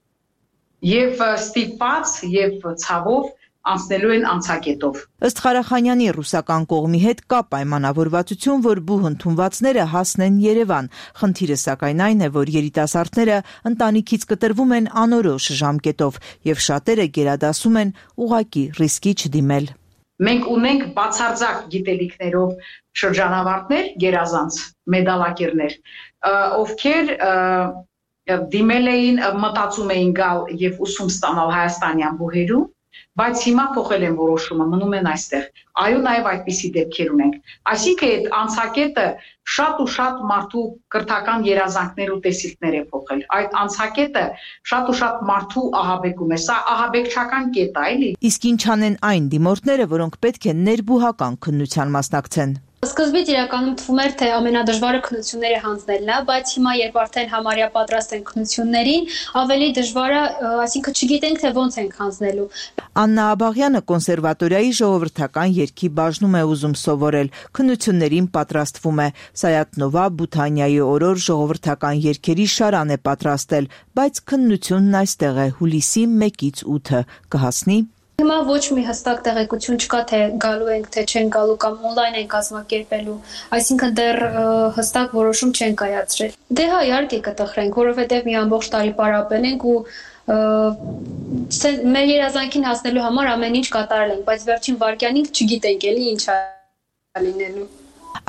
Speaker 19: Եվ ստիպված եւ ցավով անցնելու են անցակետով։
Speaker 16: Ըստ Ղարախանյանի ռուսական կողմի հետ կա պայմանավորվածություն, որ բուհ ընդունվածները հասնեն Երևան։ Խնդիրը սակայն այն է, որ երիտասարդները ընտանիքից կտրվում են անորոշ ժամկետով եւ շատերը գերադասում են ուղակի ռիսկի չդիմել։
Speaker 19: Մենք ունենք բացարձակ գիտելիքներով շրջանավարտներ, գերազանց մեդալակերներ, ովքեր դիմել էին, մտածում էին գալ եւ ուսում ստանալ հայաստանյան բուհերում, բայց հիմա փոխել են որոշումը, մնում են այստեղ։ Այո, նաև այդպիսի դեպքեր ունենք։ Այսինքն այդ անցակետը շատ ու շատ մարդու կրթական երազանքներ ու տեսիլքներ է փոխել։ Այդ անցակետը շատ ու շատ մարդու ահաբեկում է։ Սա ահաբեկչական կետ է, էլի։
Speaker 16: Իսկ ինչ անեն այն դիմորդները, որոնք պետք է ներբուհական քննության մասնակցեն։
Speaker 20: Սկզբից իրականում թվում էր, թե ամենադժվարը քննությունները հանձնելն է, բայց հիմա երբ արդեն համարյա պատրաստ են քննություններին, ավելի դժվարը, այսինքն չգիտենք, թե ոնց ենք հանձնելու։
Speaker 16: Աննա Աբաղյանը կոնսերվատորիայի ժողովրդական երգի բաժնում է ուզում սովորել, քննություններին պատրաստվում է։ Սայաթնովա Բութանյայի օրոր ժողովրդական երգերի շարան է պատրաստել, բայց քննությունն այստեղ է հուլիսի մեկից ութը, կհասնի։
Speaker 20: Հիմա ոչ մի հստակ տեղեկություն չկա, թե գալու ենք, թե չեն գալու կամ on-line են կազմակերպելու, այսինքն դեռ հստակ որոշում չեն կայացրել։ Դե հա, իհարկե կտխրենք, որովհետև մի ամբողջ տարի պարապել ենք ու մեր երազանքին հասնելու համար ամեն ինչ կատարել ենք, բայց վերջին վայրկյանին չգիտենք էլի ինչ է լինելու։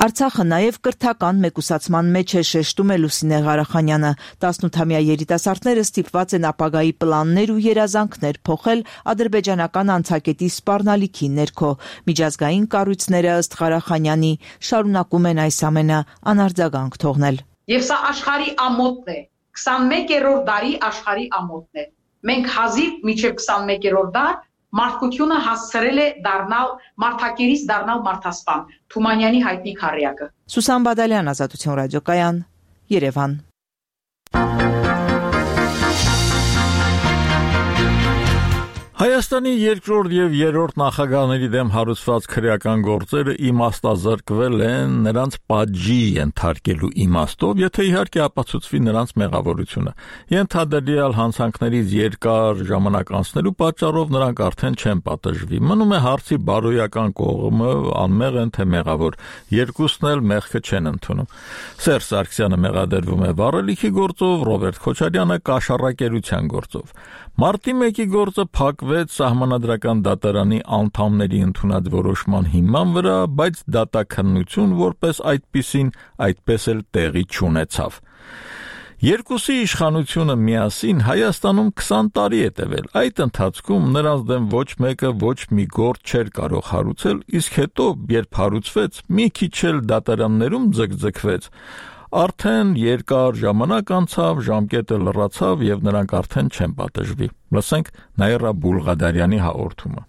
Speaker 16: Արցախը նաև կրթական մեկուսացման մեջ է, շեշտում է Լուսինե Ղարախանյանը։ տասնութամյա երիտասարդները ստիպված են ապագայի պլաններ ու երազանքներ փոխել ադրբեջանական անցակետի սպառնալիքի ներքո։ Միջազգային կառույցները ըստ Ղարախանյանի շարունակում են այս ամենը անարձագանք թողնել։
Speaker 19: Եվ սա աշխարհի ամոթն է, քսանմեկերորդ դարի աշխարհի ամոթն է։ Մենք հազիվ մինչև քսանմեկերորդ դար մարդկությունը հասցրել է դառնալ մարդակերից դառնալ մարդասպան, Թումանյանի հայտնի քառյակը։
Speaker 16: Սուսան Բադալյան, Ազատություն ռադիոկայան, Երևան։
Speaker 1: Հայաստանի երկրորդ եւ երրորդ նախագահների դեմ հարուցված քրեական գործերը իմաստազրկվել են նրանց պատժի ենթարկելու իմաստով, եթե իհարկե ապացուցվի նրանց մեղավորությունը։ Ենթադրյալ հանցանքներից երկար ժամանակ անցնելու պատճառով նրանք արդեն չեն պատժվի։ Մնում է հարցի բարոյական կողմը, անմեղ են թե մեղավոր։ Երկուսն էլ մեղքը չեն ընդունում։ Սերժ Սարգսյանը մեղադրվում է վառելիքի գործով, Ռոբերտ Քոչարյանը կաշառակերության գործով։ Մարտի մեկի գործը փակվեց Սահմանադրական դատարանի անդամների ընդունած որոշման հիման վրա, բայց դատաքննություն որպես այդպիսին այդպես էլ տեղի չունեցավ։ Երկուսի իշխանությունը միասին Հայաստանում քսան տարի է տևել։ Այդ ընթացքում նրանց դեմ ոչ մեկը ոչ մի գործ չէր կարող հարուցել, իսկ հետո, երբ հարուցվեց, մի քիչ էլ դատարաններում ձգձգվեց, արդեն երկար ժամանակ անցավ, ժամկետը լռացավ եւ նրանք արդեն չեն պատժվի։ Լսենք Նաիրա Բուլղադարյանի հաղորդումը։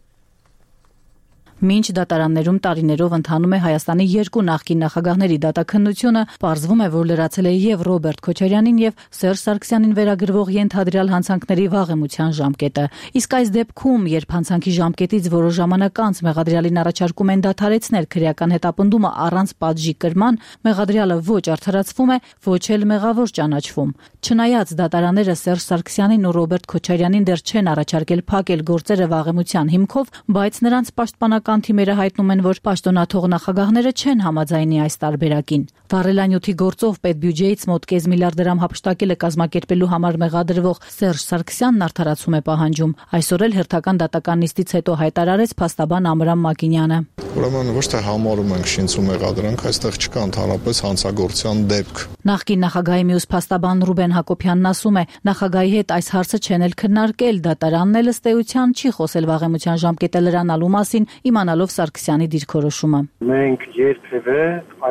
Speaker 7: Մինչ դատարաններում տարիներով ընթանում է Հայաստանի երկու նախկին նախագահների դատաքննությունը, պարզվում է, որ լրացել է եւ Ռոբերտ Քոչարյանին եւ Սերժ Սարգսյանին վերագրվող ենթադրյալ հանցանքների վաղեմության ժամկետը։ Իսկ այս դեպքում, երբ հանցանքի ժամկետից որոշ ժամանակ անց մեղադրյալին առաջարկում են դադարեցնել քրեական հետապնդումը առանց պատժի կրման, մեղադրյալը ոչ արդարացվում է, ոչ էլ մեղավոր ճանաչվում։ Չնայած դատարանները Սերժ Սարգսյանին ու Ռոբերտ Քոչարյանին դեռ չեն առաջարկել փակել գործերը վաղեմության հիմքով, բայց նրանց պաշտպանական թիմերը հայտնում են, որ պաշտոնաթող նախագահները չեն համաձայնի այս տարբերակին։ Վառելանյութի գործով պետբյուջեից մոտ կես միլիարդ դրամ հափշտակելը կազմակերպելու համար մեղադրվող Սերժ Սարգսյանն արդարացում է պահանջում։ Այսօր էլ հերթական դատական նիստից հետո հայտարարեց փաստաբան Ամրամ Մակինյանը։
Speaker 21: Ուրեմն ոչ թե համարում ենք շինցու մեղադրանք, այստեղ չկա ընդհանրապես հանցագործության դեպք։ Նախկին
Speaker 7: նախագահի մյուս փաստաբան Ռուբեն Հակոբյանն ասում է, նախագահի հետ այս հարցը չեն էլ քննարկել, դատարանն էլ ըստ էության չի խոսել վաղեմության ժամկետը լրանալու մասին, իմանալով Սարգսյանի դիրքորոշումը։
Speaker 22: Մենք երբևէ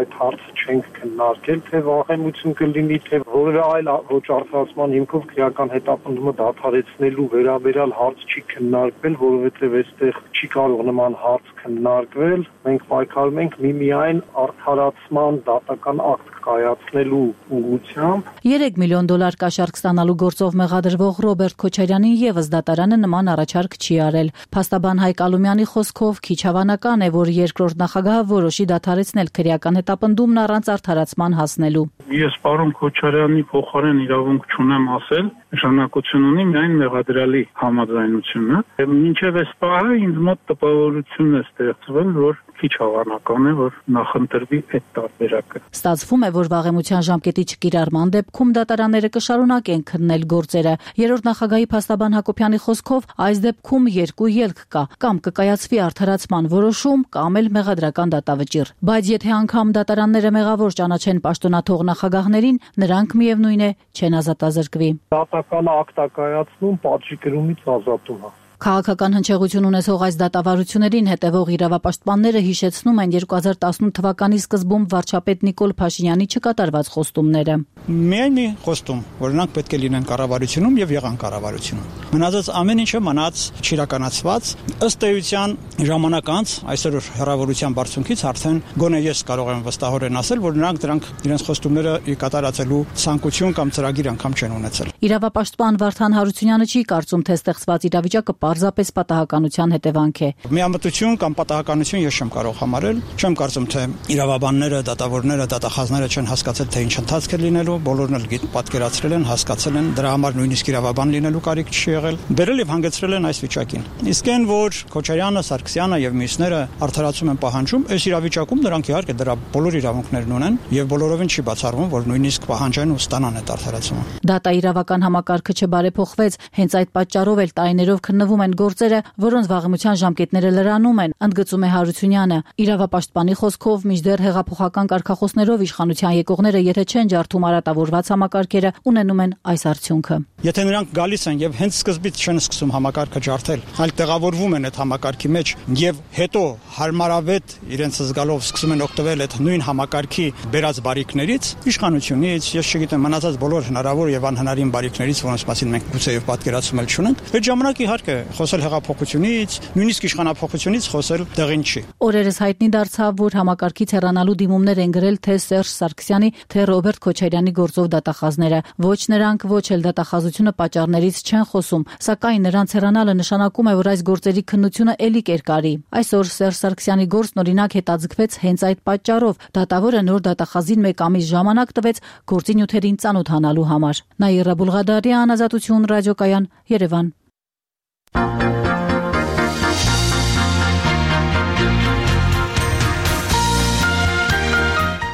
Speaker 22: այդ հարցը չենք քննարկել, թե վաղեմություն կլինի, թե որևէ այլ ոչ արդարացման հիմքով քրեական հետապնդումը դադարեցնելու վերաբերյալ հարց չի քննարկվել, որովհետև այստեղ չի կարող նման հարց քննարկվել։ Մենք պայքարում ենք միմիայն արդարացման դատական ակտ կայացնելու ուղղությամբ։
Speaker 7: երեք միլիոն դոլար կաշառք ստանալու գործով մեղադրվող Ռոբերտ Քոչարյանին եւս դատարանը նման առաջարկ չի արել։ Փաստաբան Հայկ Ալումյանի խոսքով քիչ հավանական է, որ երկրորդ նախագահը որոշի դադարեցնել քրեական հետապնդումն առանց արդարացման հասնելու։
Speaker 22: Ես պարոն Քոչարյանի փոխարեն իրավունք չունեմ ասել, նշանակություն ունի միայն մեղադրյալի համաձայնությունը։ Մինչև այս պահը ինձ մոտ տպավորություն է ստեղծվել, որ քիչ հավանական է, որ նախընտրվի այդ տարբերակը։
Speaker 7: Ստացվում է, որ վաղեմության ժամկետի չկիրառման դեպքում դատարանները կշարունակեն քննել գործերը։ Երրորդ նախագահի փաստաբան Հակոբյանի խոսքով այս դեպքում երկու ելք կա՝ կամ կկայացվի արդարացման որոշում, կամ էլ մեղադրական դատավճիռ։ Բայց եթե անգամ դատարանները մեղավոր ճանաչեն պաշտոնաթող նախագահներին, նրանք միևնույն է չեն ազատազրկվի։
Speaker 22: Դատական ակտակայացնում պատժի կրումից ազատում է։
Speaker 7: Քաղաքական հնչեղություն ունեցող այս դատավարություններին հետևող իրավապաշտպանները հիշեցնում են երկու հազար տասնութ թվականի սկզբում վարչապետ Նիկոլ Փաշինյանի չկատարված խոստումները։
Speaker 23: Միայն մի խոստում, որ նրանք պետք է լինեն կառավարությունում եւ եղան կառավարությունում։ Մնացած ամեն ինչը մնաց չիրականացված, ըստ էության ժամանակ անց այսօր հեռավորության բարձունքից արդեն գոնե ես կարող եմ վստահորեն ասել, որ նրանք դրանք իրենց խոստումները կատարածելու ցանկություն կամ ծրագիր անգամ չեն ունեցել։
Speaker 7: Իրավապաշտպան Վարդան Հարությունյանը չի կարծում, թե ստեղծված իրավիճակը պարզապես պատահականության հետևանք է։
Speaker 23: Միամտություն կամ պատահականություն ես չեմ կարող համարել, չեմ կարծում, թե իրավաբանները, դատավորները, դատախազները չեն հասկացել, թե ինչ ընթացք է լինելու, բոլորն էլ պատկերացրել են, հասկացել են, դրա համար նույնիսկ իրավաբան լինելու կարիք չի եղել, բերել եւ հանգեցրել են այս վիճակին։ Իսկ այն, որ Քոչարյանը, Սարգսյանը եւ մյուսները արդարացում են պահանջում, այս իրավիճակում նրանք իհարկե դրա բոլոր իրավունքներն ունեն եւ բոլորովին չի բացառվում, որ նույնիսկ պահանջեն ու ստանան այդ արդարացումը։
Speaker 7: Դատա իրավական համակարգը չբարեփոխվեց, հենց այդ պատճառով էլ տարիներով քննվում են գործերը, որոնց վաղեմության ժամկետները լրանում են, ընդգծում է Հարությունյանը։ Իրավապաշտպանի խոսքով մինչդեռ հեղափոխական կարգախոսներով իշխանության եկողները, եթե չեն ջարդում արատավորված համակարգերը, ունենում են այս արդյունքը։
Speaker 23: Եթե նրանք գալիս են եւ հենց սկզբից չեն սկսում համակարգը ջարդել, այլ տեղավորվում են այդ համակարգի մեջ եւ հետո հարմարավետ իրենց զգալով սկսում են օգտվել այդ նույն համակարգի բերած բարիքներից, իշխանությունից, ես չգիտեմ, մնացած բոլոր հնարավոր եւ անհնարին բարիքներից, որոնց մասին մենք գուցեև պատկերացում էլ չունենք, այդ ժամանակ իհարկե խոսել հեղափոխությունից, նույնիսկ իշխանափոխությունից խոսել տեղին չի։
Speaker 7: Օրերս հայտնի դարձավ, որ համակարգից հեռանալու դիմումներ են գրել թե Սերժ Սարգսյանի, թե Ռոբերտ Քոչարյանի գործով դատախազները։ Ոչ նրանք, ոչ էլ դատախազությունը պատճառներից չեն խոսում, սակայն նրանց հեռանալը նշանակում է, որ այս գործերի քննությունը ելի կերկարի։ Այսօր Սերժ Սարգսյանի գործն օրինակ հետաձգվեց հենց այդ պատճառով։ Դատավորը նոր դատախազին մեկ ամիս ժամանակ տվեց գործի նյութերին ծանոթանալու համար։ Նաիրա Բուլղադարյան, Ազատություն, ռադիոկայան, Երևան։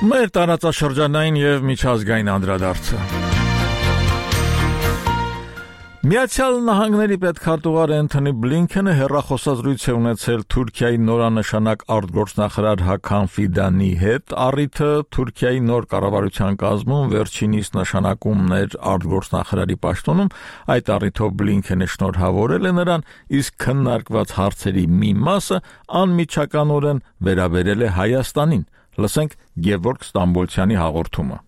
Speaker 1: Մեր տարածաշրջանային եւ միջազգային անդրադարձը։ Միացյալ Նահանգների պետքարտուղար Էնթոնի Բլինքենը հեռախոսազրույց է ունեցել Թուրքիայի նորանշանակ արտգործնախարար Հական Ֆիդանի հետ, առիթը Թուրքիայի նոր կառավարության կազմում վերջինիս նշանակումներ արտգործնախարարի պաշտոնում, այդ առիթով Բլինքենը շնորհավորել է նրան, իսկ քննարկված հարցերի մի մասը անմիջականորեն վերաբերել է Հայաստանին։ Լսենք Գևորգ Ստամբոլցյանի հաղորդումը։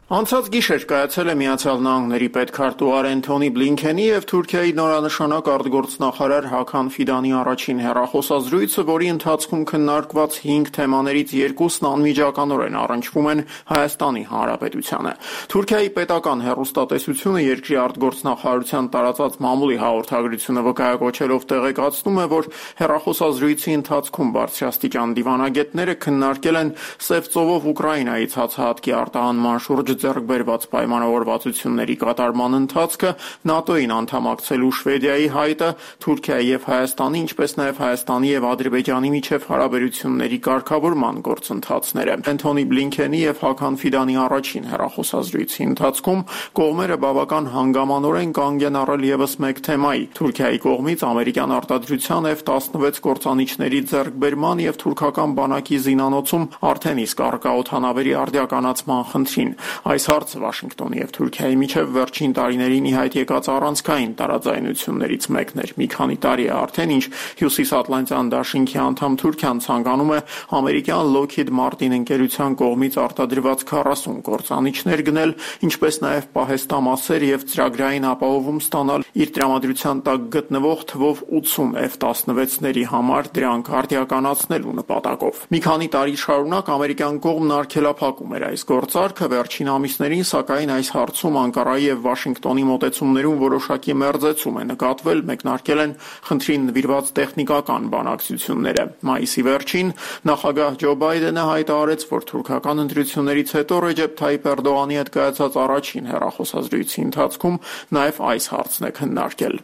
Speaker 2: Անցած գիշեր կայացել է Միացյալ Նահանգների պետքարտուղար Էնթոնի Բլինքենի եւ Թուրքիայի նորանշանակ արտգործնախարար Հական Ֆիդանի առաջին հեռախոսազրույցը, որի ընթացքում քննարկված հինգ թեմաներից երկուսն անմիջականորեն առնչվում են Հայաստանի Հանրապետությանը։ Թուրքիայի պետական հեռուստատեսությունը երկրի արտգործնախարարության տարածած մամուլի հաղորդագրությունը վկայակոչելով տեղեկացնում է, որ հեռախոսազրույցի ընթացքում բարձրաստիճան դիվանագետները քննարկել են Սև ծովով Ուկրաինայից հացահատքի արտահանման շուրջ ձեռք բերված պայմանավորվածությունների կատարման ընթացքը, ՆԱՏՕ-ին անդամակցելու Շվեդիայի հայտը, Թուրքիայի եւ Հայաստանի, ինչպես նաեւ Հայաստանի եւ Ադրբեջանի միջև հարաբերությունների կարգավորման գործընթացները։ Էնթոնի Բլինքենի եւ Հական Ֆիդանի առաջին հեռախոսազրույցի ընթացքում կողմերը բավական հանգամանորեն կանգ են առել եւս մեկ թեմայի՝ Թուրքիայի կողմից ամերիկյան արտադրության Էֆ տասնվեց կործանիչների ձեռքբերման եւ թուրքական բանակի զինանոցում արդեն իսկ առկա օդանավերի արդիականացման խնդրին։ Այս հարցը Վաշինգտոնի եւ Թուրքիայի միջև վերջին տարիներին ի հայտ եկած առանցքային տարաձայնություններից մեկն էր։ Մի քանի տարի է արդեն, ինչ Հյուսիսատլանտյան դաշինքի անդամ Թուրքիան ցանկանում է ամերիկյան Lockheed Martin ընկերության կողմից արտադրված քառասուն կործանիչներ գնել, ինչպես նաեւ պահեստամասեր եւ ծրագրային ապահովում ստանալ իր տրամադրության տակ գտնվող թվով ութսուն Էֆ տասնվեցների համար դրանք արդիականացնելու նպատակով։ Մի քանի տարի շարունակ ամերիկյան կողմն արգելափակում էր այս գործարքը, վերջին ամիսներին, սակայն այս հարցում Անկարայի եւ Վաշինգտոնի մոտեցումներում որոշակի մերձեցում է նկատվել, մեկնարկել են խնդրին նվիրված տեխնիկական բանակցությունները։ Մայիսի վերջին նախագահ Ջո Բայդենը հայտարարեց, որ թուրքական ընտրություններից հետո Ռեջեփ Թայիփ Էրդողանի հետ կայացած առաջին հեռախոսազրույցի ընթացքում նաեւ այս հարցն է քննարկել։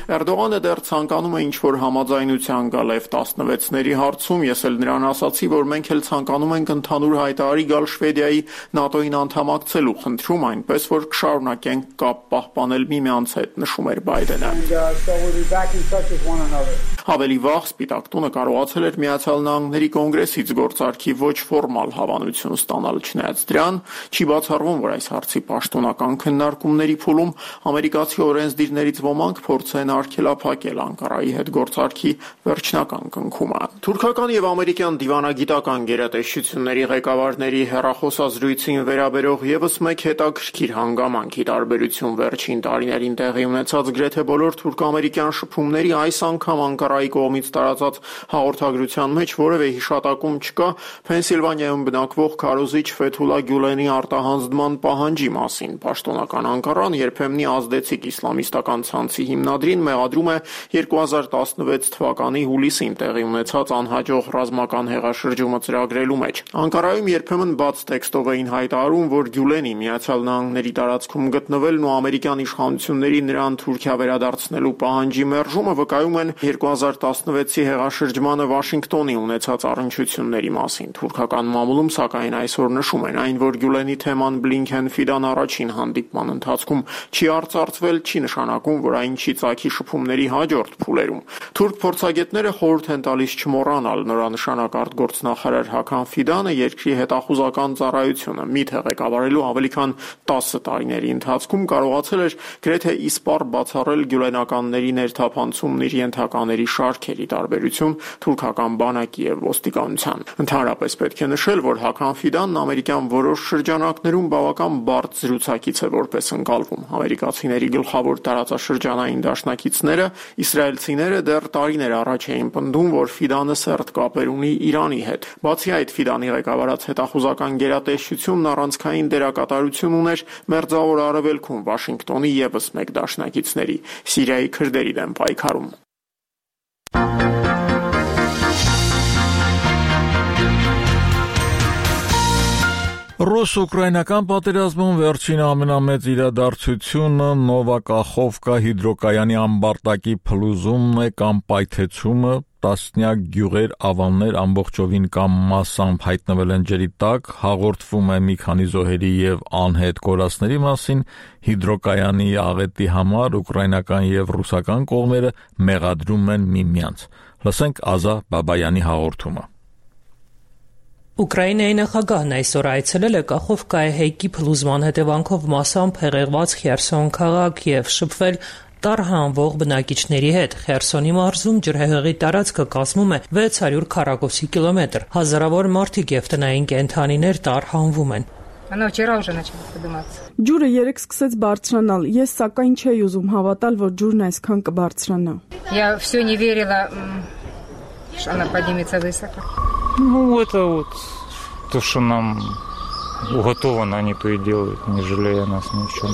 Speaker 2: Էրդողանը դեռ ցանկանում է ինչ-որ համաձայնության գալ Էֆ տասնվեցների հարցում, ես էլ նրան ասացի, որ մենք էլ ցանկանում ենք ընդհանուր հայտարարի գալ Շվեդիայի ՆԱՏՕ-ին անդամակցելու խնդրում, այնպես որ կշարունակենք կապ պահպանել միմյանց հետ, նշում էր Բայդենը։ Ավելի վաղ Սպիտակ տունը կարողացել էր Միացյալ Նահանգների կոնգրեսից գործարքի ոչ ֆորմալ հավանություն ստանալ, չնայած դրան չի բացառվում, որ այս հարցի պաշտոնական քննարկումների փուլում ամերիկացի օրենսդիրներից ոմանք փորձեն արգելափակել Անկարայի հետ գործարքի վերջնական կնքումը։ Թուրքական եւ ամերիկյան դիվանագիտական գերատեսչությունների ղեկավարների հեռախոսազրույցին վերաբերող եւս մեկ հետաքրքիր հանգամանքի տարբերություն վերջին տարիներին տեղի ունեցած գրեթե բոլոր թուրք-ամերիկյան շփումների այս անգամ Անկարայի կողմից տարածած հաղորդագրության մեջ որևէ հիշատակում չկա Փենսիլվանիայում բնակվող քարոզիչ Ֆեթուլա Գյուլենի արտահանձնման պահանջի մասին։ Պաշտոնական Անկարան երբեմնի ազդեցիկ իսլամիստական ցանցի հիմնադրին մեղադրում է երկու հազար տասնվեց թվականի հուլիսին տեղի ունեցած անհաջող ռազմական հեղաշրջումը ծրագրելու մեջ։ Անկարայում երբեմն բաց տեքստով էին հայտարարում, որ Գյուլենի Միացյալ Նահանգների տարածքում գտնվելն ու ամերիկյան իշխանությունների նրան Թուրքիա վերադարձնելու պահանջի մերժումը վկայում են երկու հազար տասնվեցի հեղաշրջմանը Վաշինգտոնի ունեցած առնչությունների մասին։ Թուրքական մամուլում սակայն այսօր նշում են այն, որ Գյուլենի թեման Բլինքեն-Ֆիդան առաջին հանդիպման ընթացքում չի արծարծվել, չի նշանակում, որ այն չի ծագի շփումների հաջորդ փուլերում։ Թուրք փորձագետները խորհուրդ են տալիս չմոռանալ նորանշանակ արտգործնախարար Հական Ֆիդանը երկրի հետախուզական ծառայությունը միթե ղեկավարելու ավելի քան տասը տարիների ընթացքում կարողացել էր գրեթե իսպառ բացառել գյուլենականների ներթափանցումն իր ենթակաների շարքերի տարբերություն թուրքական բանակի եւ ոստիկանության։ Ընդհանրապես պետք է նշել, որ Հական Ֆիդանն ամերիկյան որոշ շրջանակներում բավական բարդ զրուցակից է որպես ընկալվում։ Ամերիկացիների գլխավոր տարածաշրջանային դաշնակիցները, իսրայելցիները դեռ տարիներ առաջ էին պնդում, որ Ֆիդանը սերտ կապեր ունի Իրանի հետ։ Բացի այդ, Ֆիդանի ղեկավարած հետախուզական գերատեսչությունն առանցքային դերակատարություն ուներ Մերձավոր Արևելքում Վաշինգտոնի ևս մեկ դաշնակիցների՝ Սիրիայի քրդերի դեմ պայքարում։
Speaker 1: Ռուս-ուկրաինական պատերազմում վերջին ամենամեծ իրադարձությունը Նովա Կախովկա հիդրոկայանի ամբարտակի փլուզումն է կամ պայթեցումը, տասնյակ գյուղեր, ավաններ ամբողջովին կամ մասամբ հայտնվել են ջրի տակ, հաղորդվում է մի քանի զոհերի եւ անհետ կորածների մասին, հիդրոկայանի աղետի համար ուկրաինական եւ ռուսական կողմերը մեղադրում են միմյանց։ Լսենք Ազա Բաբայանի հաղորդումը։
Speaker 3: Ուկրաինայի նախագահն այսօր այցելել է Կախովկայի հեյկի փլուզման հետևանքով մասամբ հեղեղված Խերսոն քաղաք եւ շփվել տարհանվող բնակիչների հետ։ Խերսոնի մարզում ջրհեղեղի տարածքը կազմում է վեց հարյուր քառակուսի կիլոմետր։ Հազարավոր մարդիկ եւ տնային կենդանիներ տարհանվում են։
Speaker 4: Ջուրը երեք սկսեց բարձրանալ։ Ես սակայն չէի ուզում հավատալ, որ ջուրն այսքան կբարձրանա։
Speaker 6: Я всё не верила, что она поднимется высоко.
Speaker 24: Ну, это вот то, что нам уготовано, они то и делают, не жалея нас ни в чем.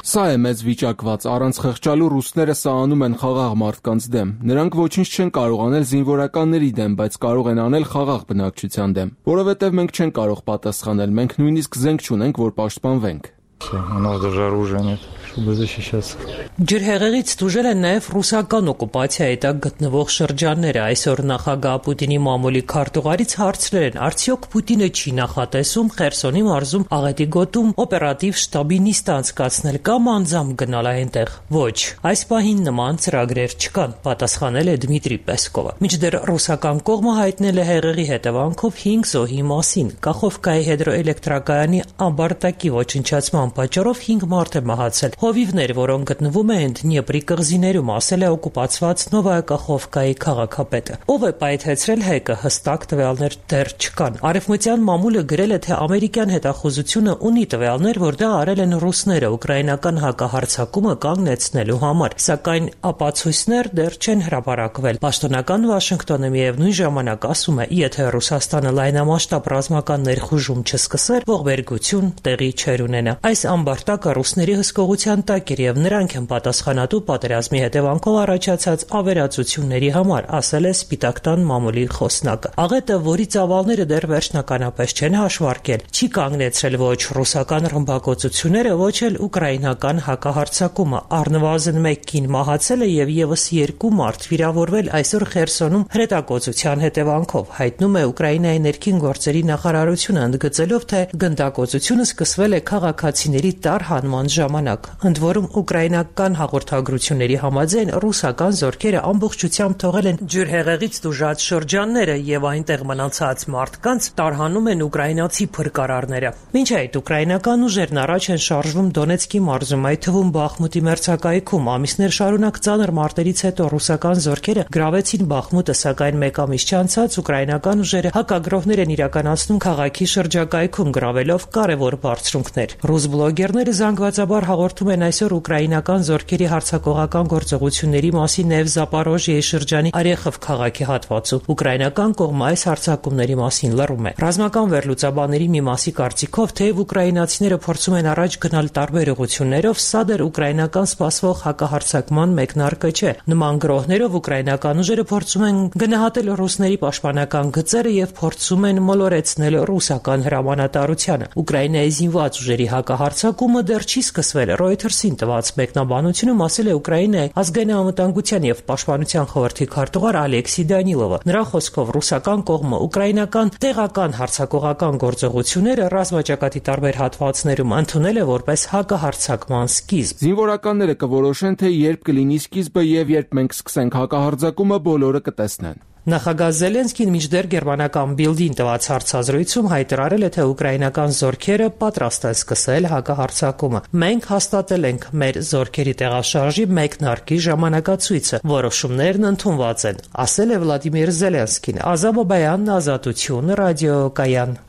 Speaker 5: Սա է մեծ վիճակված, առանց խղճալու ռուսները սա անում են խաղաղ մարդկանց դեմ։ Նրանք ոչինչ չեն կարող անել զինվորականների դեմ, բայց կարող են անել խաղաղ բնակչության դեմ, որովհետև մենք չենք կարող պատասխանել, մենք նույնիսկ զենք չունենք, որ պաշտպանվենք։
Speaker 24: У нас даже оружия нет, чтобы защищаться.
Speaker 3: Ջրհեղեղից դժուժել են նաև ռուսական օկուպացիայի տակ գտնվող շրջանները։ Այսօր նախագահ Պուտինի մամուլի քարտուղարից հարցրել են, արդյոք Պուտինը չի նախատեսում Խերսոնի մարզում աղետի գոտում օպերատիվ շտաբի նիստ անցկացնել կամ անձամբ գնալ այնտեղ։ Ոչ, այս պահին նման ծրագրեր չկան, պատասխանել է Դմիտրի Պեսկովը։ Մինչդեռ ռուսական կողմը հայտնել է հեղեղի հետևանքով հինգ զոհի մասին։ Կախովկայի հիդրոէլեկտրակայանի ամբարտակի ոչնչացման պատճառով հինգ մարդ է մահացել։ Հովիվներ, որոնք գտնվում են Դնեպրի կղզիներում, ասել է օկուպացված Նովայա Կախովկայի քաղաքապետը։ Ով է պայթեցրել հեկը, հստակ տվյալներ դեռ չկան։ Արևմտյան մամուլը գրել է, թե ամերիկյան հետախուզությունը ունի տվյալներ, որ դա արել են ռուսները ուկրաինական հակահարձակումը կանգնեցնելու համար, սակայն ապացույցներ դեռ չեն հրապարակվել։ Պաշտոնական Վաշինգտոնը միևնույն ժամանակ ասում է, եթե Ռուսաստանը լայնամասշտաբ ռազմական ներխուժում չսկսեր, ողբերգություն տեղի չէր ունենա։ Այս ամբարտակը ռուսների հսկողության տակ էր եւ նրանք են պատասխանատու պատերազմի հետևանքով առաջացած ավերածությունների համար, ասել է Սպիտակ տան մամուլի խոսնակը։ Աղետը, որի ծավալները դեռ վերջնականապես չեն հաշվարկել, չի կանգնեցրել ոչ ռուսական ռմբակոծությունները, ոչ էլ ուկրաինական հակահարձակումը։ Առնվազն մեկ կին մահացել է եւ եւս երկու մարդ վիրավորվել այսօր Խերսոնում հրետակոծության հետևանքով, հայտնում է Ուկրաինայի ներքին գործերի նախարարությունը, ընդգծելով, թե գնդակոծությունը սկսվել է քաղաքացիների տարհանման ժամանակ։ Ընդ որում ուկրաինական հաղորդագրությունների համաձայն ռուսական զորքերը ամբողջությամբ թողել են ջրհեղեղից տուժած շրջանները եւ այնտեղ մնացած մարդկանց տարհանում են ուկրաինացի փրկարարները։ Մինչ այդ ուկրաինական ուժերն առաջ են շարժվում Դոնեցկի մարզում, այդ թվում Բախմուտի մերձակայքում։ Ամիսներ շարունակ ծանր մարտերից հետո ռուսական զորքերը գրավեցին Բախմուտը, սակայն մեկ ամիս չանցած ուկրաինական ուժերը հակագրոհներ են իրականացնում քաղաքի շրջակայքում, գրավելով կարևոր բարձրունքներ։ Ռուս բլոգերները զանգվածաբար հաղորդում են այսօր ուկրաինական զորքերի հարձակողական գործողությունների մասին նաև Զապորոժիեի շրջանի Արեխով քաղաքի հատվածում։ Ուկրաինական կողմը այս հարձակումների մասին լռում է։ Ռազմական վերլուծաբանների մի մասի կարծիքով, թեև ուկրաինացիները փորձում են առաջ գնալ տարբեր ուղղություններով, սա դեռ ուկրաինական սպասվող հակահարձակման մեկնարկը չէ։ Նման գրոհներով ուկրաինական ուժերը փորձում են գնահատել ռուսների պաշտպանական գծերը եւ փորձում են մոլորեցնել ռուսական հրամանատարությանը։ Ուկրաինայի զինված ուժերի հակահարձակումը դեռ չի սկսվել։ Reuters-ին տված մեկնաբանությունում ասել է Ուկրաինայի ազգային անվտանգության եւ պաշտպանության խորհրդի քարտուղար Ալեքսի Դանիլովը։ Նրա խոսքով ռուսական կողմը ուկրաինական տեղական հարձակողական գործողությունները ռազմաճակատի տարբեր հատվածներում ընդունել է որպես հակահարձակման սկիզբ։
Speaker 5: Զինվորականները կորոշեն, թե երբ կլինի սկիզբը եւ երբ մենք սկսենք հակահարձակումը, բոլորը կտեսնեն։
Speaker 3: Նախագահ Զելենսկին մինչդեռ գերմանական Բիլդին տված հարցազրույցում հայտարարել է, թե ուկրաինական զորքերը պատրաստ են սկսել հակահարձակումը։ Մենք հաստատել ենք մեր զորքերի տեղաշարժի մեկնարկի ժամանակացույցը, որոշումներն ընդունված են, ասել է Վլադիմիր Զելենսկին։ Ազա Բաբայան, Ազատություն, ռադիոկայան։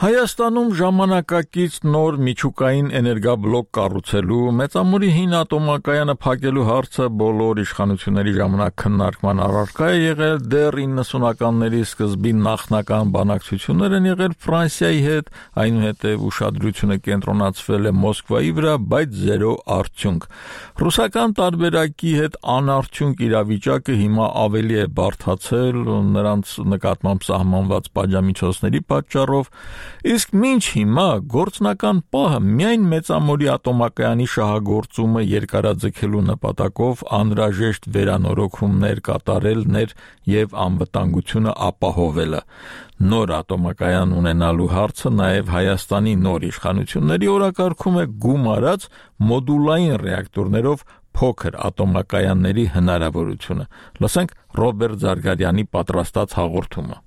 Speaker 1: Հայաստանում ժամանակակից նոր միջուկային էներգաբլոկ կառուցելու, մեծամուրի հին ատոմակայանը փակելու հարցը բոլոր իշխանությունների ժամանակ քննարկման առարկա է եղել, դեռ իննսունականների սկզբին նախնական բանակցություններ են եղել Ֆրանսիայի հետ, այնուհետև ուշադրությունը կենտրոնացվել է Մոսկվայի վրա, բայց զերո արդյունք։ Ռուսական տարբերակի հետ անարդյունք իրավիճակը հիմա ավելի է բարդացել նրանց նկատմամբ սահմանված պատժամիջոցների պատճառով։ Իսկ մինչ հիմա գործնական պահը միայն Մեծամորի ատոմակայանի շահագործումը երկարաձգելու նպատակով անհրաժեշտ վերանորոգումներ կատարելն էր եւ անվտանգությունը ապահովելը։ Նոր ատոմակայան ունենալու հարցը նաեւ Հայաստանի նոր իշխանությունների օրակարգում է գումարած մոդուլային ռեակտորներով փոքր ատոմակայանների հնարավորությունը։ Լսենք Ռոբերտ Զարգարյանի պատրաստած հաղորդումը։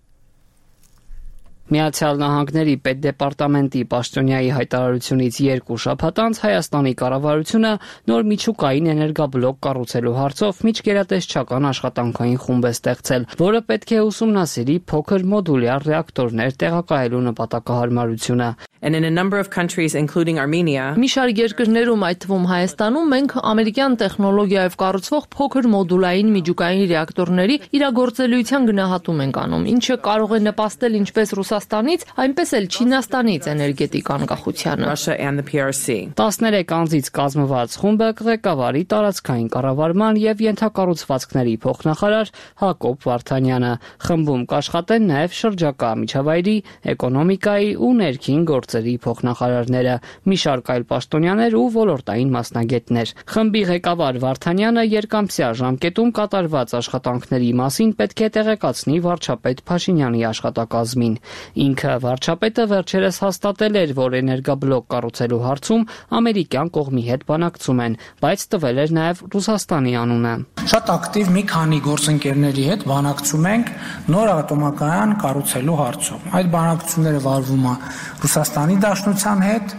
Speaker 8: Միացյալ Նահանգների պետդեպարտամենտի պաշտոնյայի հայտարարությունից երկու շաբաթ անց Հայաստանի կառավարությունը նոր միջուկային էներգաբլոկ կառուցելու հարցով միջգերատեսչական աշխատանքային խումբ է ստեղծել, որը պետք է ուսումնասիրի փոքր մոդուլյար ռեակտորներ տեղակայելու նպատակահարմարությունը։
Speaker 9: And in a number of countries, including Armenia,
Speaker 12: մի շարք երկրներում, այդ թվում Հայաստանում, մենք ամերիկյան տեխնոլոգիայով կառուցվող փոքր մոդուլային միջուկային ռեակտորների իրագործելիության գնահատում ենք անում, ինչը կարող է նպաստել ինչպես Ռուսաստանից, այնպես էլ Չինաստանից էներգետիկ անկախությանը։
Speaker 9: Russia and the P R C.
Speaker 8: տասներեք անձից կազմված խումբը կղեկավարի տարածքային կառավարման եւ ենթակառուցվածքների փոխնախարար Հակոբ Վարդանյանը։ Խմբում կաշխատեն նաեւ շրջակա միջավայրի, էկոնոմիկայի ու ներքին գործերի փոխնախարարները, մի շարք այլ պաշտոնյաներ ու ոլորտային մասնագետներ։ Խմբի ղեկավար Վարդանյանը երկամսյա ժամկետում կատարված աշխատանքների մասին պետք է տեղեկացնի վարչապետ Փաշինյանի աշխատակազմին։ Ինքը վարչապետը վերջերս հաստատել էր, որ էներգաբլոկ կառուցելու հարցում ամերիկյան կողմի հետ բանակցում են, բայց տվել էր նաև Ռուսաստանի անունը։
Speaker 10: Շատ ակտիվ մի քանի գործընկերների հետ բանակցում ենք նոր ատոմակայան կառուցելու հարցում։ Այդ բանակցությունները վարվում է Ռուսաստանի Դաշնության հետ,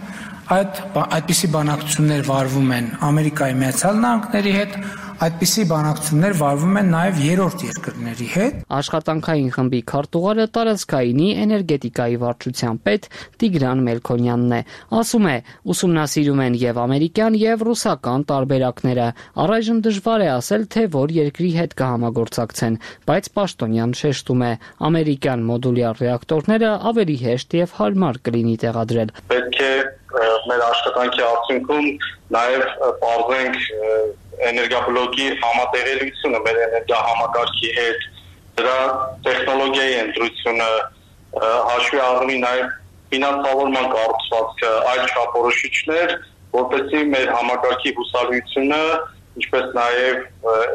Speaker 10: այդ այդպիսի բանակցություններ վարվում են Ամերիկայի Միացյալ Նահանգների հետ, այդպիսի բանակցություններ վարվում են նաև երրորդ երկրների հետ։
Speaker 8: Աշխատանքային խմբի քարտուղարը տարածքայինի էներգետիկայի վարչության պետ Տիգրան Մելքոնյանն է։ Ասում է, ուսումնասիրում են եւ ամերիկյան եւ ռուսական տարբերակները։ Առայժմ դժվար է ասել, թե որ երկրի հետ կհամագործակցեն, բայց պաշտոնյան շեշտում է, ամերիկյան մոդուլյար ռեակտորները ավելի հեշտ եւ հարմար կլինի տեղադրել։
Speaker 11: Պետք է մեր աշխատանքի արդյունքում նաև բարձենք էներգաբլոկի համատեղելիությունը մեր էներգահամակարգի հետ, դրա տեխնոլոգիայի ընտրությունը, հաշվի առնի նաև ֆինանսավորման կառուցվածքը, այլ չափորոշիչներ, որպեսզի մեր համակարգի հուսալիությունը, ինչպես նաև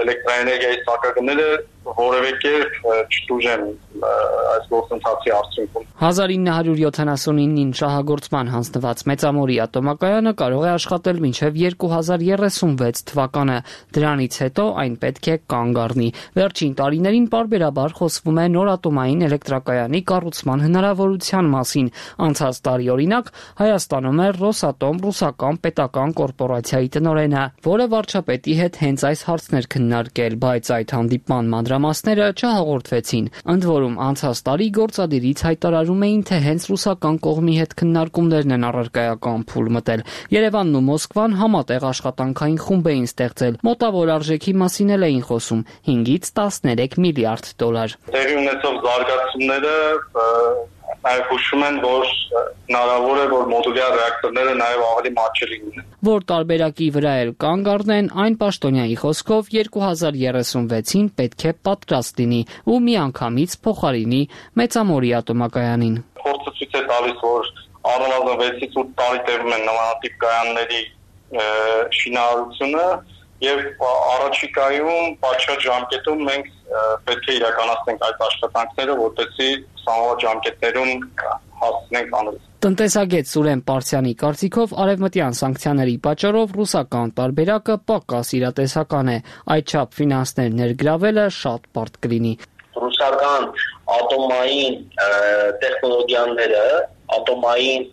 Speaker 11: էլեկտրաէներգիայի սակագները որևէ կերպ չտուժեն այս գործընթացի արդյունքում։
Speaker 8: հազար ինը հարյուր յոթանասունինին շահագործման հանձնված Մեծամորի ատոմակայանը կարող է աշխատել մինչև երկու հազար երեսունվեց թվականը։ Դրանից հետո այն պետք է կանգ առնի։ Վերջին տարիներին պարբերաբար խոսվում է նոր ատոմային էլեկտրակայանի կառուցման հնարավորության մասին։ Անցած տարի օրինակ Հայաստանում էր Ռոսատոմ ռուսական պետական կորպորացիայի տնօրենը, որը վարչապետի հետ հենց այս հարցներ քննարկել, բայց այդ հանդիպման մանրամասները չհաղորդվեցին։ Ընդ որում անցած տարի գործադիրից հայտարարում էին, թե հենց ռուսական կողմի հետ քննարկումներն են առարկայական փուլ մտել։ Երևանն ու Մոսկվան համատեղ աշխատանքային խումբ էին ստեղծել, մոտավոր արժեքի մասին էլ էին խոսում՝ հինգից տասներեք միլիարդ դոլար։
Speaker 11: Տեղի ունեցող զարգացումները նաև հուշում են, որ հնարավոր է, որ մոդուլյար ռեակտորները նաև ավելի մատչելի լինեն։
Speaker 8: Որ տարբերակի վրա էլ կանգ առնեն, այն պաշտոնյայի խոսքով երկու հազար երեսունվեցին պետք է պատրաստ լինի ու միանգամից փոխարինի Մեծամորի ատոմակայանին։
Speaker 11: Փորձը ցույց է տալիս, որ առնվազն վեցից ութ տարի տևում են նմանատիպ կայանների շինարարությունը եւ առաջիկայում պատշաճ ժամկետում մենք պետք է իրականացնենք այդ աշխատանքները, որպեսզի սահմանված ժամկետներում հասնենք անելուց։
Speaker 8: Տնտեսագետ Սուրեն Պարսյանի կարծիքով արևմտյան սանկցիաների պատճառով ռուսական տարբերակը պակաս իրատեսական է, այդչափ ֆինանսներ ներգրավելը շատ բարդ կլինի։
Speaker 25: Ռուսական ատոմային տեխնոլոգիաները, ատոմային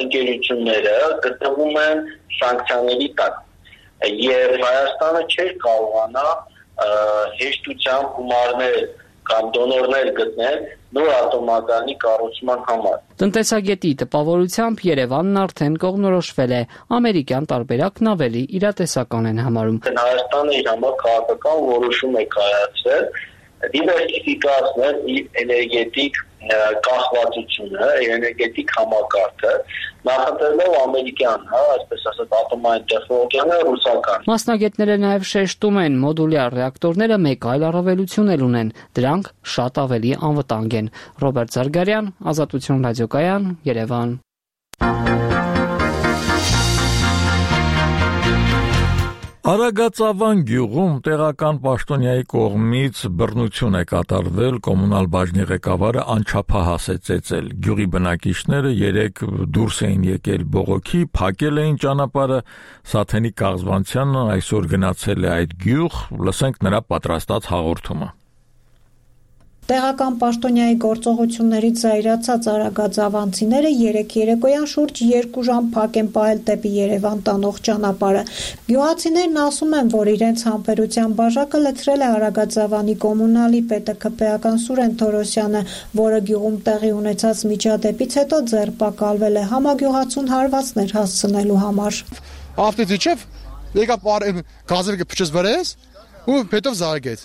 Speaker 25: ընկերությունները գտնվում են սանկցիաների տակ, եւ Հայաստանը չէր կարողանա հեշտությամբ գումարներ կամ դոնորներ գտնել նոր ատոմակայանի կառուցման համար։
Speaker 8: Տնտեսագետի տպավորությամբ Երևանն արդեն կողմնորոշվել է, ամերիկյան տարբերակն ավելի իրատեսական են համարում։
Speaker 25: Հայաստանը իր համար քաղաքական որոշում է կայացրել դիվերսիֆիկացնել իր էներգետիկ կախվածությունը, էներգետիկ համակարգը նախաձեռնող ամերիկյան, հա, այսպես ասած, ատոմային տեխնոլոգիան ռուսական։
Speaker 8: Մասնագետները նաև շեշտում են, մոդուլյար ռեակտորները մեկ այլ առավելություն էլ ունեն, դրանք շատ ավելի անվտանգ են։ Ռոբերտ Զարգարյան, Ազատություն ռադիոկայան, Երևան։
Speaker 1: Արագածավան գյուղում տեղական պաշտոնյայի կողմից բռնություն է կատարվել, կոմունալ բաժնի ղեկավարը անչափահաս է ծեծել։ Գյուղի բնակիչները երեք դուրս էին եկել բողոքի, փակել էին ճանապարհը, Սաթենիկ Կաղզվանցյանը այսօր գնացել է այդ գյուղ, լսենք նրա պատրաստած հաղորդումը։
Speaker 13: Տեղական պաշտոնյայի գործողություններից զայրացած արագածավանցիները երեք երեկոյան շուրջ երկու ժամ փակ են պահել դեպի Երևան տանող ճանապարհը։ Գյուղացիներն ասում են, որ իրենց համբերության բաժակը լցրել է Արագածավանի կոմունալի պետը քպեական Սուրեն Թորոսյանը, որը գյուղում տեղի ունեցած միջադեպից հետո ձերբակալվել է համագյուղացուն հարվածներ հասցնելու համար։
Speaker 14: Ավտոդիչև եկա գազերը փչեց վրես ու հետո զարգեց։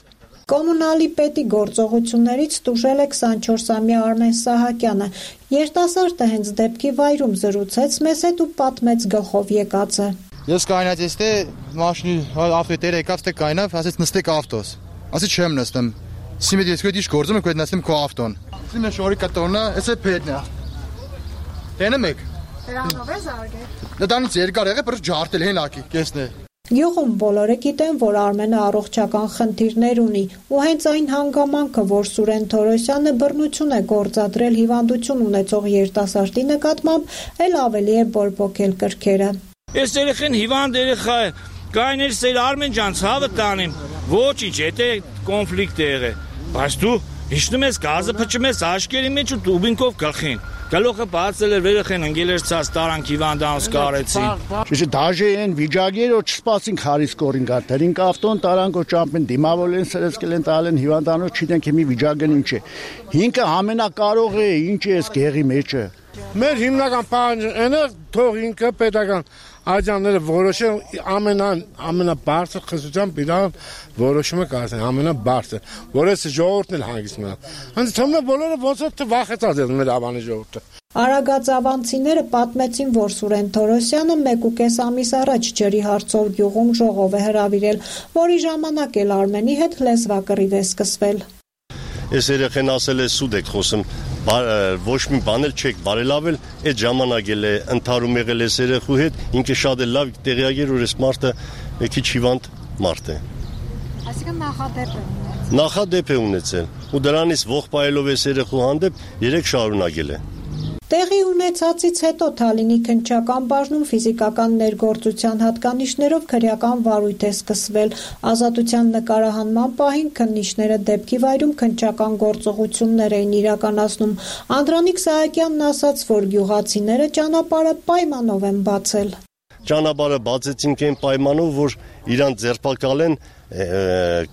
Speaker 13: Կոմունալի պետի գործողություններից տուժել է քսանչորսամյա Արմեն Սահակյանը։ Երիտասարդը հենց դեպքի վայրում զրուցեց մեզ հետ ու պատմեց գլխով եկածը։
Speaker 14: Ես կայնած էստե մաշինի ավտոտերը եկավ թե կայնավ, ասեց նստեք ավտոս։ Ասի չեմ նստեմ։ Սիմեդ ես քո դիշ գործում եք, այդ նստեմ քո ավտոն։ Սիմե շորի կտորնա, էսե փետնա։ Տենեմ եք։
Speaker 13: Դրանով է զարգել։
Speaker 14: Դրանից երկար եղե, բր ջարտել հենակի, կեսնե։
Speaker 13: Գյուղում բոլորը գիտեն, որ Արմենը առողջական խնդիրներ ունի, ու հենց այն հանգամանքը, որ Սուրեն Թորոսյանը բռնություն է գործադրել հիվանդություն ունեցող երիտասարդի նկատմամբ, էլ ավելի է բորբոքել կրքերը։
Speaker 15: Այս երեխան հիվանդ երեխա է, կայներ սեր Արմեն ջան, ցավը տանեմ, ոչինչ, եթե կոնֆլիկտ է եղել, բայց դու հիշնում ես գազը փչում ես աշկերի մեջ ու տուբինկով գլխին։ Գալուխը բացել էր վերախեն ընկել էր ցած տարանք հիվանդանց կարեցին։
Speaker 17: Շիշ դաժե են վիճակեր որ չսպասին խարիս կորին գարտերին կավտոն տարանք որ ճամփեն դիմավորեն սրսկել են տալեն հիվանդանոց չիտենք հիմի վիճակն ինչ է։ Ինքը ամենակարող է, ինչ է այս գեղի մեջը։
Speaker 22: Մեր հիմնական պահանջը թող ինքը պետական աջանները որոշեն ամենան ամենաբարձր խստությամբ իրան որոշումը կայացնեն ամենաբարձր, որ այս ժողովուրդն էլ հանգիստ մնա։ Հենց թվում է բոլորը ոնց որ վախեցած են մեր ավանի ժողովուրդը։
Speaker 13: Արագածավանցիները պատմեցին, որ Սուրեն Թորոսյանը մեկ ու կես ամիս առաջ ջրի հարցով գյուղում ժողով է հրավիրել, որի ժամանակ էլ Արմենի հետ լեզվակռիվ է սկսվել։
Speaker 18: Այս երեխեն ասել է սուտ եք խոսում, ոչ մի բան էլ չեք բարելավել, այդ ժամանակ էլ է ընդհարում եղել այս երեխու հետ, ինքը շատ էլ լավ տեղյակ էր, որ այս մարդը մի քիչ հիվանդ մարդ է։
Speaker 13: Այսինքն նախադեպ է ունեցել։
Speaker 18: Նախադեպ է ունեցել, ու դրանից ողջ պայելով այս երեխու հանդեպ երեք շարունակել է։
Speaker 13: Տեղի ունեցածից հետո Թալինի քննչական բաժնում ֆիզիկական ներգործության հատկանիշներով քրեական վարույթ է սկսվել։ Ազատության նկարահանման պահին քննիչները դեպքի վայրում քննչական գործողություններ էին իրականացնում։ Անդրանիկ Սահակյանն ասաց, որ գյուղացիները ճանապարհը պայմանով են բացել։
Speaker 18: Ճանապարհը բացեցինք այն պայմանով, որ իրան ձերբակալեն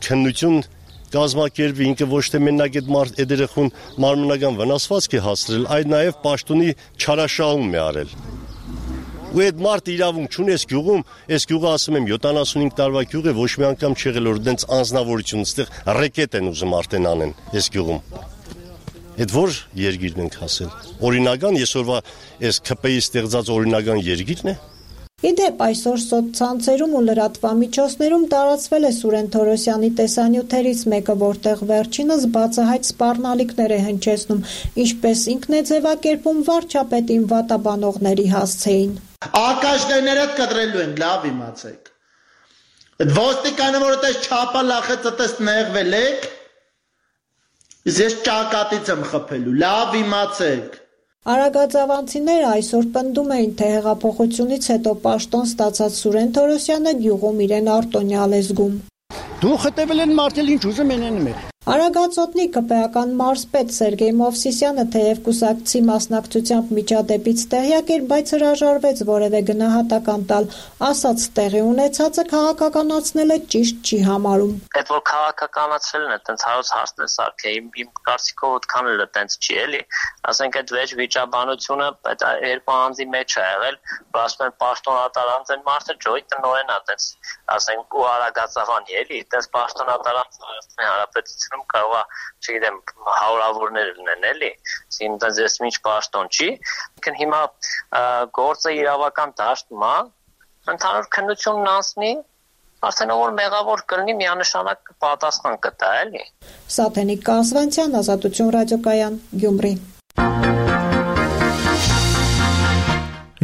Speaker 18: քննություն կազմակերպի, ինքը ոչ թե մենակ այդ մարդ այդ երեխուն մարմնական վնասվածք է հասցրել, այլ նաև պաշտոնի չարաշահում է արել։ Ու այդ մարդը իրավունք չունի այս գյուղում, այս գյուղը ասում եմ յոթանասունհինգ տարվա գյուղ է, ոչ մի անգամ չեղել որ դենց անձնավորություն, այստեղ ռեկետ են ուզում արդեն անեն այս գյուղում։ Այդ որ երկիրն ենք հասել։ Օրինական այսօրվա այս ՔՊ-ի ստեղծած օրինական երկիրն է։
Speaker 13: Իդեպ այսօր սոցցանցերում ու լրատվամիջոցներում տարածվել է Սուրեն Թորոսյանի տեսանյութերից մեկը, որտեղ վերջինս բացահայտ սպառնալիքներ է հնչեցնում, ինչպես ինքն է ձևակերպում վարչապետին վատաբանողների հասցեին։
Speaker 26: Ակաշներդ կտրելու են, լավ իմացեք։ Այդ ոստիկանը որ այդպես չափա լախեց, այդպես նեղվել եք, ես ճակատից եմ խփելու, լավ իմացեք։
Speaker 13: Արագածավանցիները այսօր պնդում էին, թե հեղափոխությունից հետո պաշտոն ստացած Սուրեն Թորոսյանը գյուղում իրեն արտոնյալ է զգում։
Speaker 17: Դու խտեվել են մարդել ինչ ուզում են անում են։
Speaker 13: Արագածոտնի ԿՊ-ական մարզպետ Սերգեյ Մովսիսյանը թեև կուսակցի մասնակցությամբ միջադեպից տեղյակ էր, բայց հրաժարվեց որևէ գնահատական տալ, ասաց տեղի ունեցածը քաղաքականացնել է ճիշտ չի համարում։
Speaker 27: Այդ որ քաղաքականացրելն է, տենց հարց հարցն է սարքե, իմ իմ կարծիքով այդքան էլ տենց չի էլի, ասենք այդ վեճ վիճաբանությունը այդ երկու անձի մեջ է եղել, որ ասում են պաշտոնատարանց են մարդը ջոյ տնօրեն է, տենց ասենք ու Արագածավանի էլի, տենց պաշտոնատարանց Հայաստանի Հանրապետություն Իրանում կարող է, չգիտեմ, հարյուրավորներ լինեն, էլի, ինձ ես ինչ պաշտոն չի, ինքն հիմա գործը իրավական դաշտում է, ընդհանուր քննությունն անցնի, արդեն որ մեղավոր կլինի միանշանակ պատասխան կտա, էլի։
Speaker 13: Սաթենիկ Կասվանցյան, Ազատություն ռադիոկայան, Գյումրի։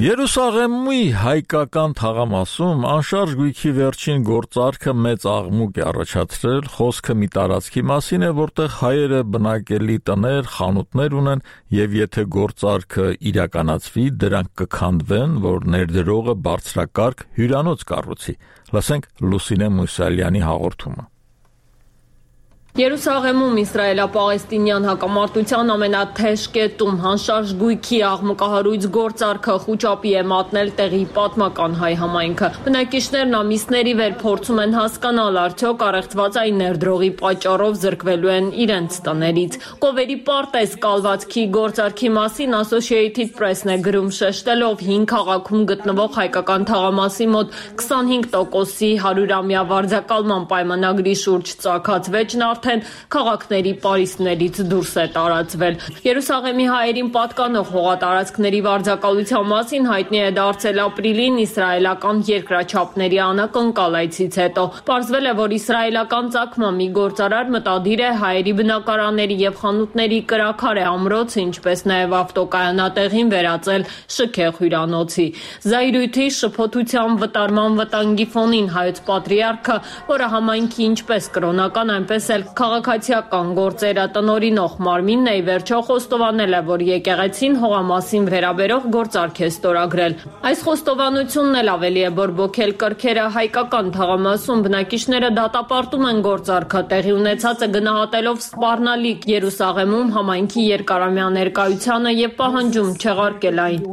Speaker 1: Երուսաղեմի հայկական թաղամասում անշարժ գույքի վերջին գործարքը մեծ աղմուկ է առաջացրել, խոսքը մի տարածքի մասին է, որտեղ հայերը բնակելի տներ, խանութներ ունեն, եւ եթե գործարքը իրականացվի, դրանք կքանդվեն, որ ներդրողը բարձրակարգ հյուրանոց կառուցի։ Լսենք Լուսինե Մուսալյանի հաղորդումը։
Speaker 12: Երուսաղեմում իսրայելա-պաղեստինյան հակամարտության ամենաթեժ կետում հանշարժ գույքի աղմկահարույց գործարքը խուճապի է մատնել տեղի պատմական հայ համայնքը։ Բնակիչներն ամիսների վեր փորձում են հասկանալ, արդյոք առեղծվածային ներդրողի պատճառով զրկվելու են իրենց տներից։ Կովերի պարտեզ կալվածքի գործարքի մասին Associated Press-ն է գրում, շեշտելով հին քաղաքում գտնվող հայկական թաղամասի մոտ քսանհինգ տոկոսի հարյուրամյա վարձակալման պայմանագրի շուրջ ծագած վեճն արդեն քաղաքների պարիսպներից դուրս է տարածվել։ Երուսաղեմի հայերին պատկանող հողատարածքների վարձակալության մասին հայտնի է դարձել ապրիլին իսրայելական երկրաչափների անակնկալ այցից հետո։ Պարզվել է, որ իսրայելական ծագման մի գործարար մտադիր է հայերի բնակարանների եւ խանութների կրաքարե ամրոցը, ինչպես նաեւ ավտոկայանատեղին վերածել շքեղ հյուրանոցի։ Զայրույթի, շփոթության, վտարման վտանգի ֆոնին հայոց պատրիարքը, որը համայնքի ինչպես կրոնական, այնպես էլ քաղաքացիական գործերը տնօրինող մարմինն է, ի վերջո խոստովանել է, որ եկեղեցին հողամասին վերաբերող գործարք է ստորագրել։ Այս խոստովանությունն էլ ավելի է բորբոքել կրքերը հայկական թաղամասում բնակիչները դատապարտում են գործարքը, տեղի ունեցածը գնահատելով սպառնալիք Երուսաղեմում համայնքի երկարամյա ներկայությանը եւ պահանջում չեղարկել այն։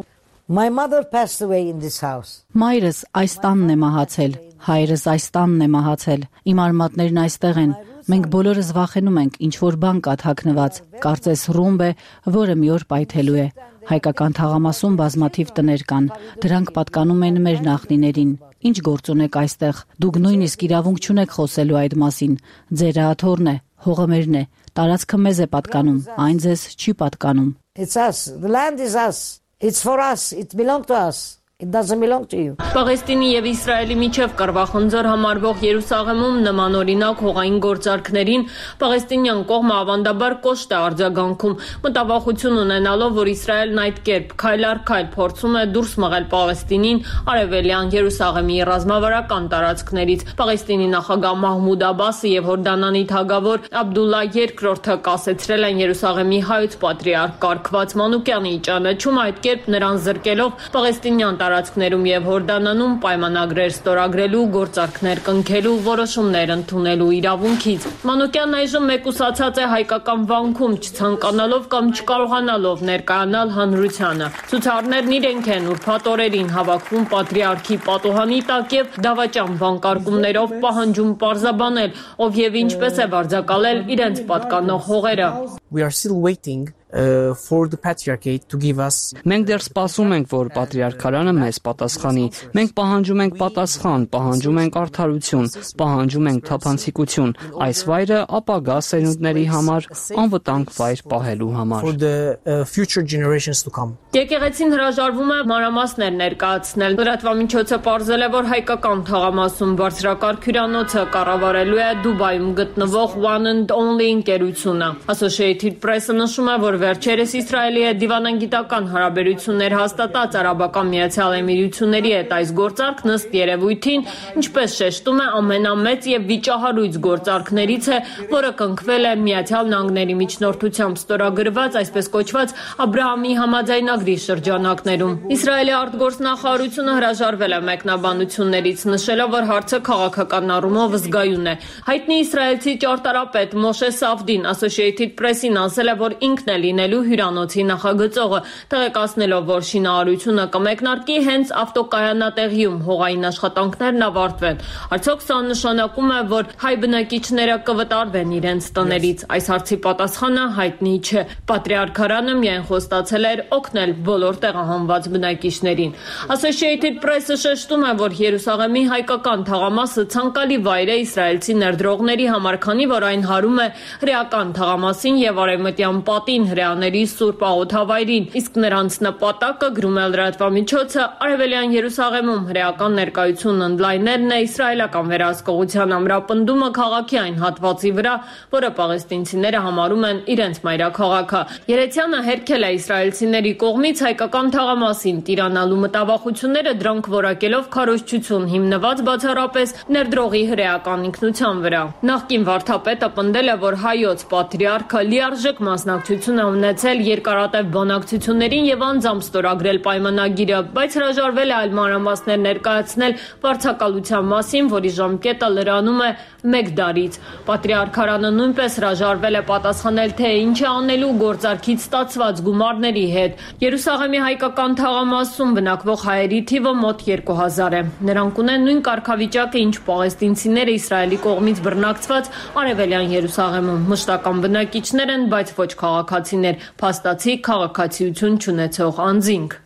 Speaker 2: My mother passed away in this house.
Speaker 7: Մայրս այս տանն է մահացել, հայրս այս տանն է մահացել, իմ արմատներն այստեղ են։ Մենք բոլորս վախենում ենք, ինչ որ բան կա թաքնված, կարծես ռումբ է, որը մի օր պայթելու է։ Հայկական թաղամասում բազմաթիվ տներ կան, դրանք պատկանում են մեր նախնիներին։ Ինչ գործ ունեք այստեղ, դուք նույնիսկ իրավունք չունեք խոսելու այդ մասին։ Ձեր աթոռն է, հողը մերն է, տարածքը մեզ է պատկանում, այն ձեզ չի պատկանում։
Speaker 2: It's us. The land is us. It's for us. It belongs to us. It doesn't belong to you.
Speaker 12: Պաղեստինի եւ Իսրայելի միջև կռվախնձոր համարվող Երուսաղեմում նմանօրինակ հողային գործարքներին պաղեստինյան կողմը ավանդաբար կոշտ է արձագանքում, մտավախություն ունենալով, որ Իսրայելն այդ կերպ քայլ առ քայլ փորձում է դուրս մղել Պաղեստինին արևելյան Երուսաղեմի ռազմավարական տարածքներից։ Պաղեստինի նախագահ Մահմուդ Աբասը եւ Հորդանանի թագավոր Աբդուլլա երկրորդը կասեցրել են Երուսաղեմի հայոց պատրիարք Կարգված Մանուկյանի ճանաչում, այդ կերպ նրան զրկելով պաղեստինյան տարածքներում եւ Հորդանանում պայմանագրեր ստորագրելու, գործարքներ կնքելու, որոշումներ ընդունելու իրավունքից։ Մանուկյանն այժմ մեկուսացած է հայկական վանքում, չցանկանալով կամ չկարողանալով ներկայանալ հանրությանը։ Ցուցարներն իրենք են ուրբաթ օրերին հավաքվում պատրիարքի պատուհանի տակ եւ դավաճան վանկարկումներով պահանջում պարզաբանել, ով եւ ինչպես է վարձակալել իրենց պատկանող հողերը։
Speaker 16: We are still waiting Uh, for the patriarchate to give us.
Speaker 8: Մենք դեռ սպասում ենք, որ պատրիարքարանը մեզ պատասխանի։ Մենք պահանջում ենք պատասխան, պահանջում ենք արդարություն, պահանջում ենք թափանցիկություն։ Այս վայրը ապագա սերունդների համար անվտանգ վայր պահելու համար։
Speaker 16: For the uh, future generations to come.
Speaker 12: Եկեղեցին հրաժարվում է մանրամասներ ներկայացնել։ Լրատվամիջոցը պարզել է, որ հայկական թաղամասում բարձրակարգ հյուրանոցը կառավարելու է Դուբայում գտնվող One and Only ընկերությունը։ Associated Press-ը նշում է, որ վերջերս Իսրայելի հետ դիվանագիտական հարաբերություններ հաստատած Արաբական Միացյալ Էմիրությունների հետ այս գործարքն ըստ երևույթին, ինչպես շեշտում է, ամենամեծ եւ վիճահարույց գործարքներից է, որը կնքվել է Միացյալ Նահանգների միջնորդությամբ ստորագրված, այսպես կոչված Աբրահամի համաձայնագրի շրջանակներում։ Իսրայելի արտգործնախարարությունը հրաժարվել է մեկնաբանություններից, նշելով, որ հարցը քաղաքական առումով զգայուն է։ Հայտնի իսրայելցի ճարտարապետ Մոշե Սավդին Associated Press-ին ասել է, որ ինքն էլ լինելու հյուրանոցի նախագծողը, տեղեկացնելով, որ շինարարությունը կմեկնարկի հենց ավտոկայանատեղիում հողային աշխատանքներն ավարտվեն։ Արդյոք սա նշանակում է, որ հայ բնակիչները կվտարվեն իրենց տներից։ Այս հարցի պատասխանը հայտնի չէ։ Պատրիարքարանը միայն խոստացել էր օգնել բոլոր տեղահանված բնակիչներին։ Associated Press-ը շեշտում է, որ Երուսաղեմի հայկական թաղամասը ցանկալի վայր է իսրայելցի ներդրողների համար, քանի որ այն հարում է հրեական թաղամասին եւ արևմտյան պատին հրեաների սուրբ աղոթավայրին, իսկ նրանց նպատակը, գրում է լրատվամիջոցը, արևելյան Երուսաղեմում հրեական ներկայությունն ընդլայնելն է իսրայելական վերահսկողության ամրապնդումը քաղաքի այն հատվածի վրա, որը պաղեստինցիները համարում են իրենց մայրաքաղաքը։ Երեցյանը հերքել է իսրայելցիների կողմից հայկական թաղամասին տիրանալու մտավախությունները, դրանք որակելով քարոզչություն հիմնված բացառապես ներդրողի հրեական ինքնության վրա։ Նախկին վարդապետը պնդել է, որ հայոց պատրիարքը լիարժեք մասնակցություն է ունեցել երկարատև բանակցություններին եւ անձամբ ստորագրել պայմանագիրը, բայց հրաժարվել է այլ մանրամասներ ներկայացնել վարձակալության մասին, որի ժամկետը լրանում է մեկ դարից։ Պատրիարքարանը նույնպես հրաժարվել է պատասխանել, թե ինչ է անելու գործարքից ստացված գումարների հետ։ Երուսաղեմի հայկական թաղամասում բնակվող հայերի թիվը մոտ երկու հազար է։ Նրանք ունեն նույն կարգավիճակը, ինչ պաղեստինցիները Իսրայելի կողմից բռնակցված արևելյան Երուսաղեմում։ Մշտական բնակիչներ են, բայց ոչ քաղաքացիներ, փաստացի քաղաքացիություն չունեցող անձինք։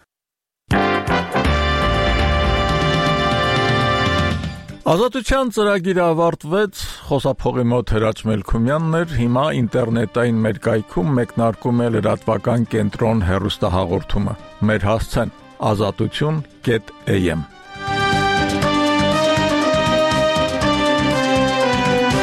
Speaker 1: Ազատության ծրագիրը ավարտվեց, խոսափողի մոտ Հրաչ Մելքումյանն էր, հիմա ինտերնետային մեր կայքում մեկնարկում է լրատվական կենտրոն հեռուստահաղորդումը։ Մեր հասցեն ազատություն կետ էյ էմ